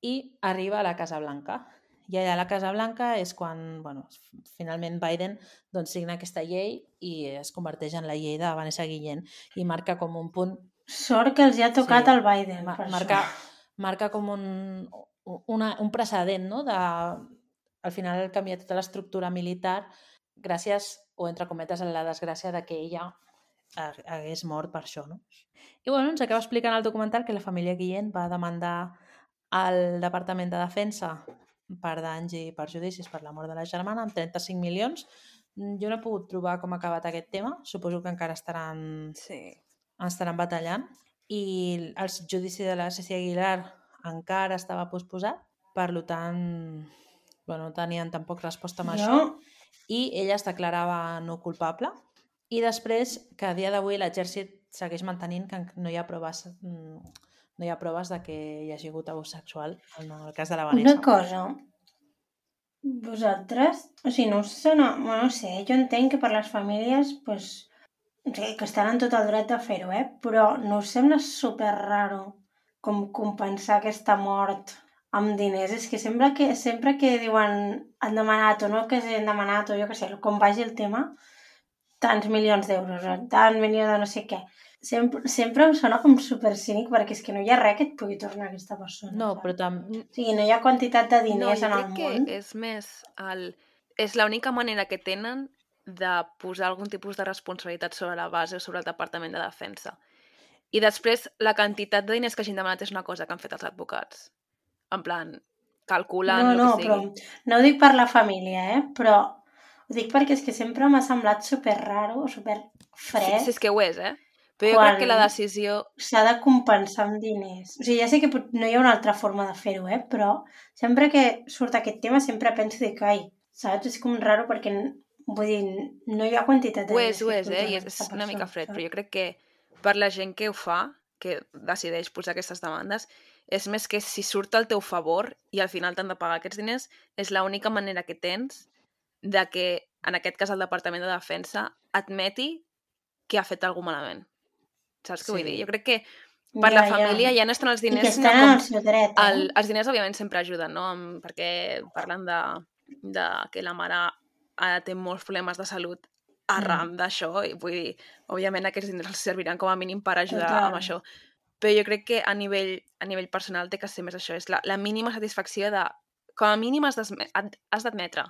i arriba a la Casa Blanca. I allà a la Casa Blanca és quan finalment Biden doncs, signa aquesta llei i es converteix en la llei de Vanessa Guillen i marca com un punt... Sort que els hi ha tocat el Biden. Marca com un precedent, no? Al final canvia tota l'estructura militar gràcies, o entre cometes, a la desgràcia de que ella hagués mort per això, no? I ens acaba explicant el documental que la família Guillen va demandar al Departament de Defensa per danys i perjudicis per la mort de la germana amb 35 milions. Jo no he pogut trobar com ha acabat aquest tema. Suposo que encara estaran batallant. I el judici de la Ceci Aguilar encara estava posposat. Per tant, no tenien tampoc resposta amb això. I ella es declarava no culpable. I després, que a dia d'avui l'exèrcit segueix mantenint que no hi ha proves de que hi hagi hagut abús sexual en el cas de la Vanessa. Una cosa, vosaltres, o sigui, no sé, jo entenc que per les famílies, que estan en tot el dret de fer-ho, però no us sembla super raro com compensar aquesta mort amb diners? És que sempre que diuen han demanat o no que s'han demanat o jo què sé, com vagi el tema, tants milions d'euros, tants milions de no sé què. Sempre em sona com super cínic perquè és que no hi ha res que et pugui tornar a aquesta persona. No, però també... O sigui, no hi ha quantitat de diners en el món. No, jo crec que és més... És l'única manera que tenen de posar algun tipus de responsabilitat sobre la base o sobre el Departament de Defensa. I després, la quantitat de diners que hagin demanat és una cosa que han fet els advocats. En plan, calculant el que sigui. Però no ho dic per la família, però ho dic perquè és que sempre m'ha semblat super raro, super fred. Sí, és que ho és, Però jo crec que Quan- la decisió... s'ha de compensar amb diners. O sigui, ja sé que no hi ha una altra forma de fer-ho, però sempre que surt aquest tema sempre penso que, ai, saps? És com raro perquè, vull dir, no hi ha quantitat de Ho diners és, que i controla és aquesta una mica persona, fred, però saps? jo crec que per la gent que ho fa, que decideix posar aquestes demandes, és més que si surt al teu favor i al final t'han de pagar aquests diners, és l'única manera que tens de que, en aquest cas, el Departament de Defensa admeti que ha fet alguna malament. Saps què vull dir? Sí. Jo crec que per la família ja no estan els I que diners, sinó estan en com... el seu dret, Els diners, òbviament, sempre ajuden, no? Perquè parlen de que la mare té molts problemes de salut arran d'això, i vull dir, òbviament aquests diners els serviran com a mínim per ajudar Total. amb això. Però jo crec que a nivell personal té que ser més això, és la mínima satisfacció de... Com a mínim has d'admetre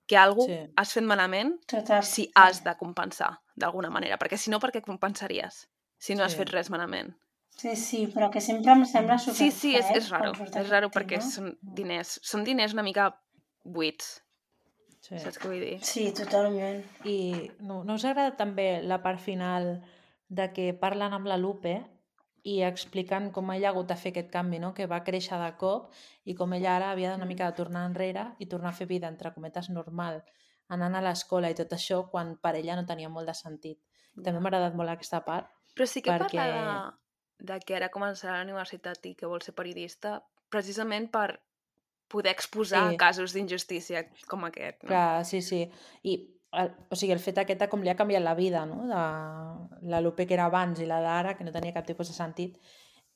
que alguna Sí. has fet malament Total. si has de compensar d'alguna manera, perquè si no, per què compensaries si no has Sí. fet res malament? Sí, però que sempre em sembla Sí, superfred. és raro. quan surt És aquest raro perquè tema. són diners una mica buits. Sí. Saps què vull dir? Sí, totalment. I no us agrada també la part final de que parlen amb la Lupe i expliquen com ella ha hagut de fer aquest canvi, no? Que va créixer de cop i com ella ara havia una mica de tornar enrere i tornar a fer vida, entre cometes, normal, anant a l'escola i tot això, quan per ella no tenia molt de sentit. També m'ha agradat molt aquesta part. Però sí que perquè... parla de que ara començarà a la universitat i que vol ser periodista precisament per poder exposar Sí. casos d'injustícia com aquest, no? Clar, sí. I o sigui, el fet aquest de com li ha canviat la vida, no? De la Lupe que era abans i la d'ara, que no tenia cap tipus de sentit.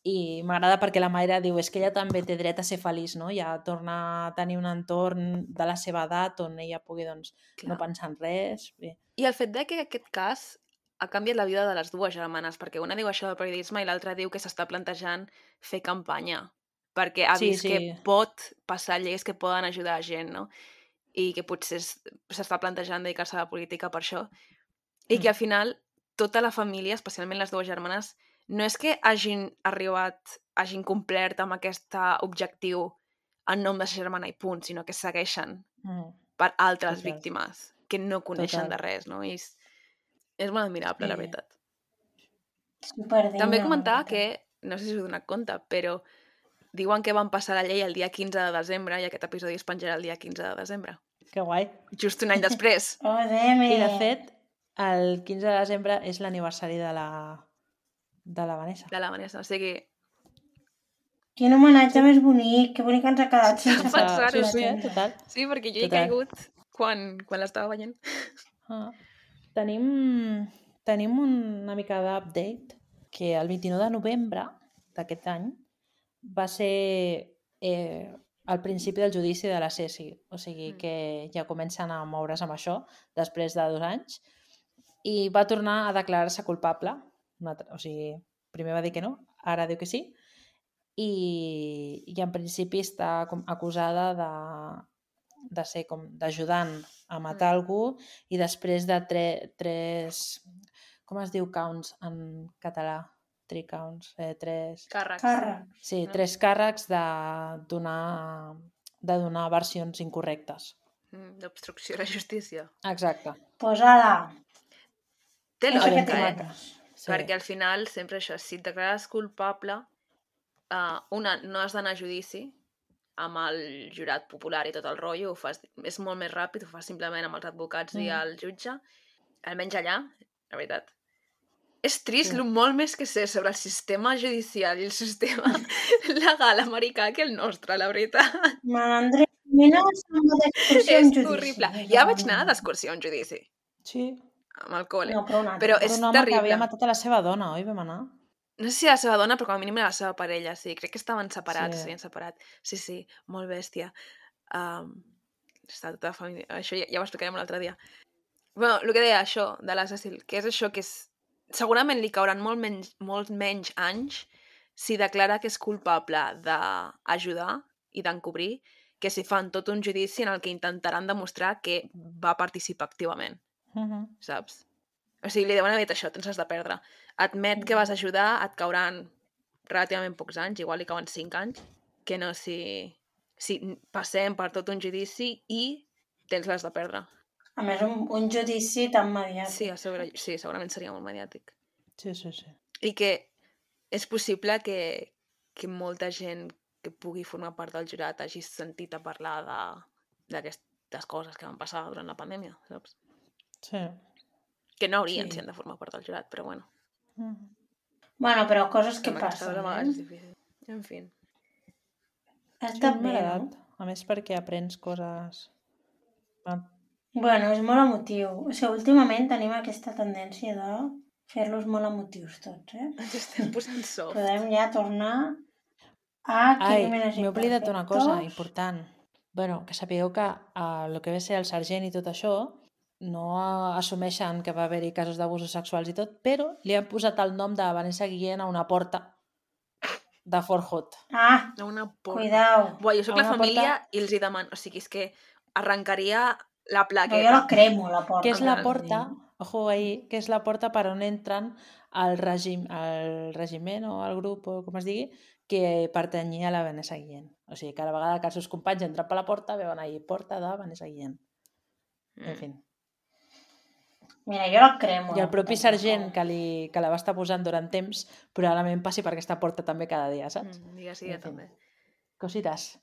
I m'agrada perquè la Mayra diu és que ella també té dret a ser feliç, no? Ja torna a tenir un entorn de la seva edat on ella pugui, doncs, no pensar en res. Bé. I el fet de que aquest cas ha canviat la vida de les dues germanes, perquè una diu això del periodisme i l'altra diu que s'està plantejant fer campanya, perquè ha vist que pot passar lleis que poden ajudar a gent, no? I que potser s'està plantejant dedicar-se a la política per això. I que al final tota la família, especialment les dues germanes, no és que hagin complert amb aquest objectiu en nom de sa germana i punt, sinó que segueixen per altres víctimes que no coneixen de res, no? I és molt admirable, la veritat. Superdigna. També comentar que, no sé si us heu donat compte, però diuen que van passar la llei el dia 15 de desembre i aquest episodi es penjarà el dia 15 de desembre. Que guai. Just un any després. Oh, Demi! I de fet, el 15 de desembre és l'aniversari de la Vanessa. De la Vanessa, o sigui... Quin homenatge més bonic, que bonic ens ha quedat sense pensar-ho. Sí, total. Sí, perquè jo he caigut quan l'estava veient. Tenim una mica d'update que el 29 de novembre d'aquest any va ser el principi del judici de la Ceci, o sigui que ja comencen a moure's amb això després de 2 anys i va tornar a declarar-se culpable, o sigui, primer va dir que no, ara diu que sí, i en principi està acusada de ser com d'ajudant a matar algú i després de tres com es diu counts en català? 3 counts, 3... Càrrecs. Sí, 3 càrrecs de donar versions incorrectes. D'obstrucció a la justícia. Exacte. Posa-la. Té lògica, Sí. Perquè al final, sempre això, si et declares culpable, no has d'anar a judici amb el jurat popular i tot el rotllo, és molt més ràpid, ho fas simplement amb els advocats i el jutge, almenys allà, la veritat. És trist molt més que sé sobre el sistema judicial i el sistema legal americà que el nostre, la veritat. Malandre, mira, sembla d'excursió en judici. És horrible. Ja vaig anar d'excursió en judici. Sí. Amb el col·le. No, però és un home terrible. que havia matat a la seva dona, oi? Vam anar? No sé si la seva dona, però com a mínim era la seva parella, sí. Crec que estaven separats, s'havien separat. Sí, molt bèstia. Està tota la família... Això ja ho explicarem l'altre dia. Bueno, el que deia això de la Cecil, que és això que és... Segurament li cauran molt menys anys si declara que és culpable d'ajudar i d'encobrir que si fan tot un judici en el que intentaran demostrar que va participar activament. Saps? O sigui, li deuen haver dit això, tens has de perdre. Admet que vas ajudar, et cauran relativament pocs anys, igual li cauen 5 anys, que no si passem per tot un judici i tens l'has de perdre. A més, un judici tan mediàtic. Sí, segurament seria molt mediàtic. Sí. I que és possible que molta gent que pugui formar part del jurat hagi sentit a parlar d'aquestes coses que van passar durant la pandèmia, saps? Sí. Que no haurien Sí. si han de formar part del jurat, però bueno. Bueno, però coses que Amb aquestes passen, coses a vegades és difícil. En fi. Està m'ha bé, no? agradat. A més, perquè aprens coses... Bueno, és molt emotiu. O sigui, últimament tenim aquesta tendència de fer-los molt emotius tots, Ens estem posant soft. Podem ja tornar a Ai, Crímenes m'he oblidat una cosa Imperfectos. important. Bueno, que sapigueu que el que ve ser el sergent i tot això no assumeixen que va haver-hi casos d'abusos sexuals i tot, però li han posat el nom de Vanessa Guillén a una porta de Fort Hood. Ah, A una porta. cuidao. Buah, jo soc A la una família i els hi demano... O sigui, és que arrencaria la No, plaqueta. jo la cremo, la porta. Que és la Endavant. porta, ojo ahí, que és la porta per on entren el regiment o el grup, o com es digui, que pertanyia a la Vanessa Guillén. O sigui, cada vegada que els seus companys entren per la porta, veuen ahí, porta de Vanessa Guillén. En fi. Mira, jo la cremo. I el la propi puta sergent porta. que la va estar posant durant temps, probablement passi per aquesta porta també cada dia, saps? Digues, sí, En fi. també. Cositas.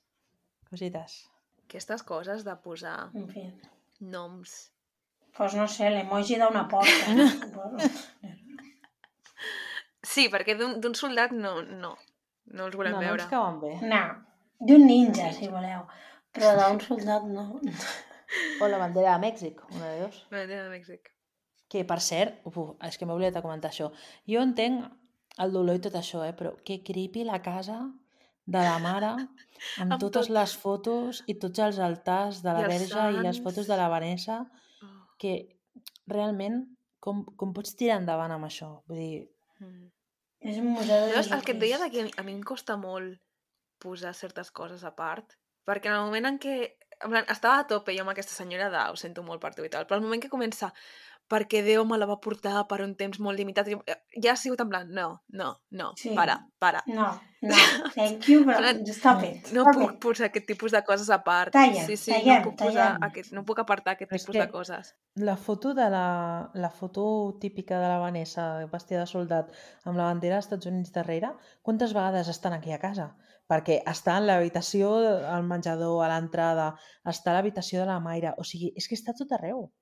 Aquestes coses de posar En fi. noms... Pues no sé, l'emoji d'una porta. Sí, perquè d'un soldat no els volem No veure. ens cauen bé. No, d'un ninja, si voleu. Però d'un soldat no. O la bandera de Mèxic, una de dos. La bandera de Mèxic. Que, per cert, és que m'he oblidat de comentar això. Jo entenc el dolor i tot això, però que creepy la casa de la mare amb Amb totes tot. les fotos i tots els altars de la I els Verge i les sants. fotos de la Vanessa, Oh. que realment com pots tirar endavant amb això? Vull dir, És un museu de Llavors, el que et deia Jesucrist. que a mi em costa molt posar certes coses a part, perquè en el moment en què... En plan, estava a tope jo amb aquesta senyora de ho sento molt per tu i tal, però el moment que comença perquè Déu me la va portar per un temps molt limitat, ja ha sigut en plan, no, Sí. para. No, thank you, però stop it. No stop puc it. posar aquest tipus de coses a part. Talla, Sí, tallem, no puc posar tallem. no puc apartar aquest Però és tipus que- de coses. la foto de la foto típica de la Vanessa vestida de soldat amb la bandera dels Estats Units darrere, quantes vegades estan aquí a casa? Perquè està en l'habitació, al menjador, a l'entrada, està a l'habitació de la Mayra, o sigui, és que està tot arreu.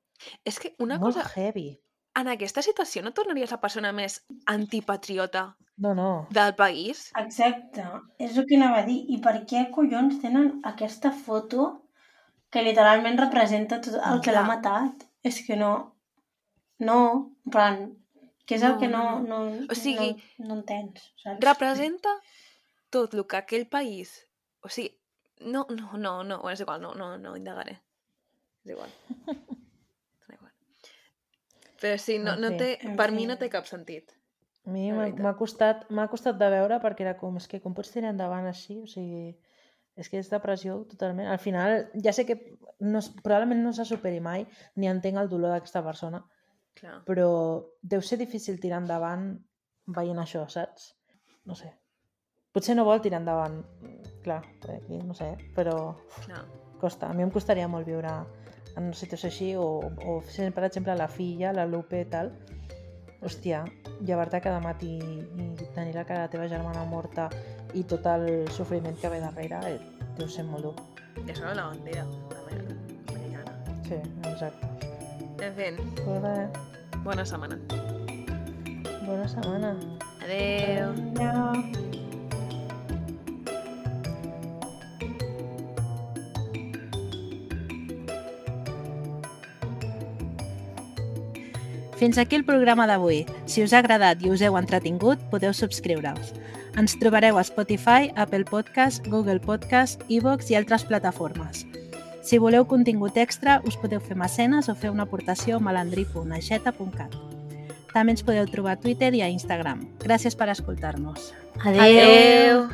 És que una Molt cosa... heavy. En aquesta situació no tornaries la persona més antipatriota No. del país? Exacte, és el que anava a dir. I per què collons tenen aquesta foto que literalment representa tot el que l'ha Clar. matat? És que no, en plan, que és el que no O sigui, no entens, saps? Representa tot el que aquell país... O sigui, no, és igual, no indagaré. És igual. És igual. Però sí, En fi. per mi no té cap sentit. A mi La m'ha costat de veure perquè era com, és que com pots tirar endavant així? O sigui, és que és depressió totalment. Al final, ja sé que probablement no se superi mai, ni entenc el dolor d'aquesta persona, Clar. però deu ser difícil tirar endavant veient això, saps? No sé. Potser no vol tirar endavant, clar, aquí no sé, però Clar. costa. A mi em costaria molt viure en una situació així, o per exemple, la filla, la Lupe i tal. Hòstia, llevar-te cada matí i tenir la cara de la teva germana morta i tot el sofriment que ve darrere deu ser molt dur. I això era la bandera americana. Sí, exacte. En fi, Pues res, bona setmana. bona setmana. Adeu. No. Fins aquí el programa d'avui. Si us ha agradat i us heu entretingut, podeu subscriure-us. Ens trobareu a Spotify, Apple Podcast, Google Podcast, iVoox i altres plataformes. Si voleu contingut extra, us podeu fer mecenes o fer una aportació a malandrí.aixeta.cat. També ens podeu trobar a Twitter i a Instagram. Gràcies per escoltar-nos. Adéu. Adeu.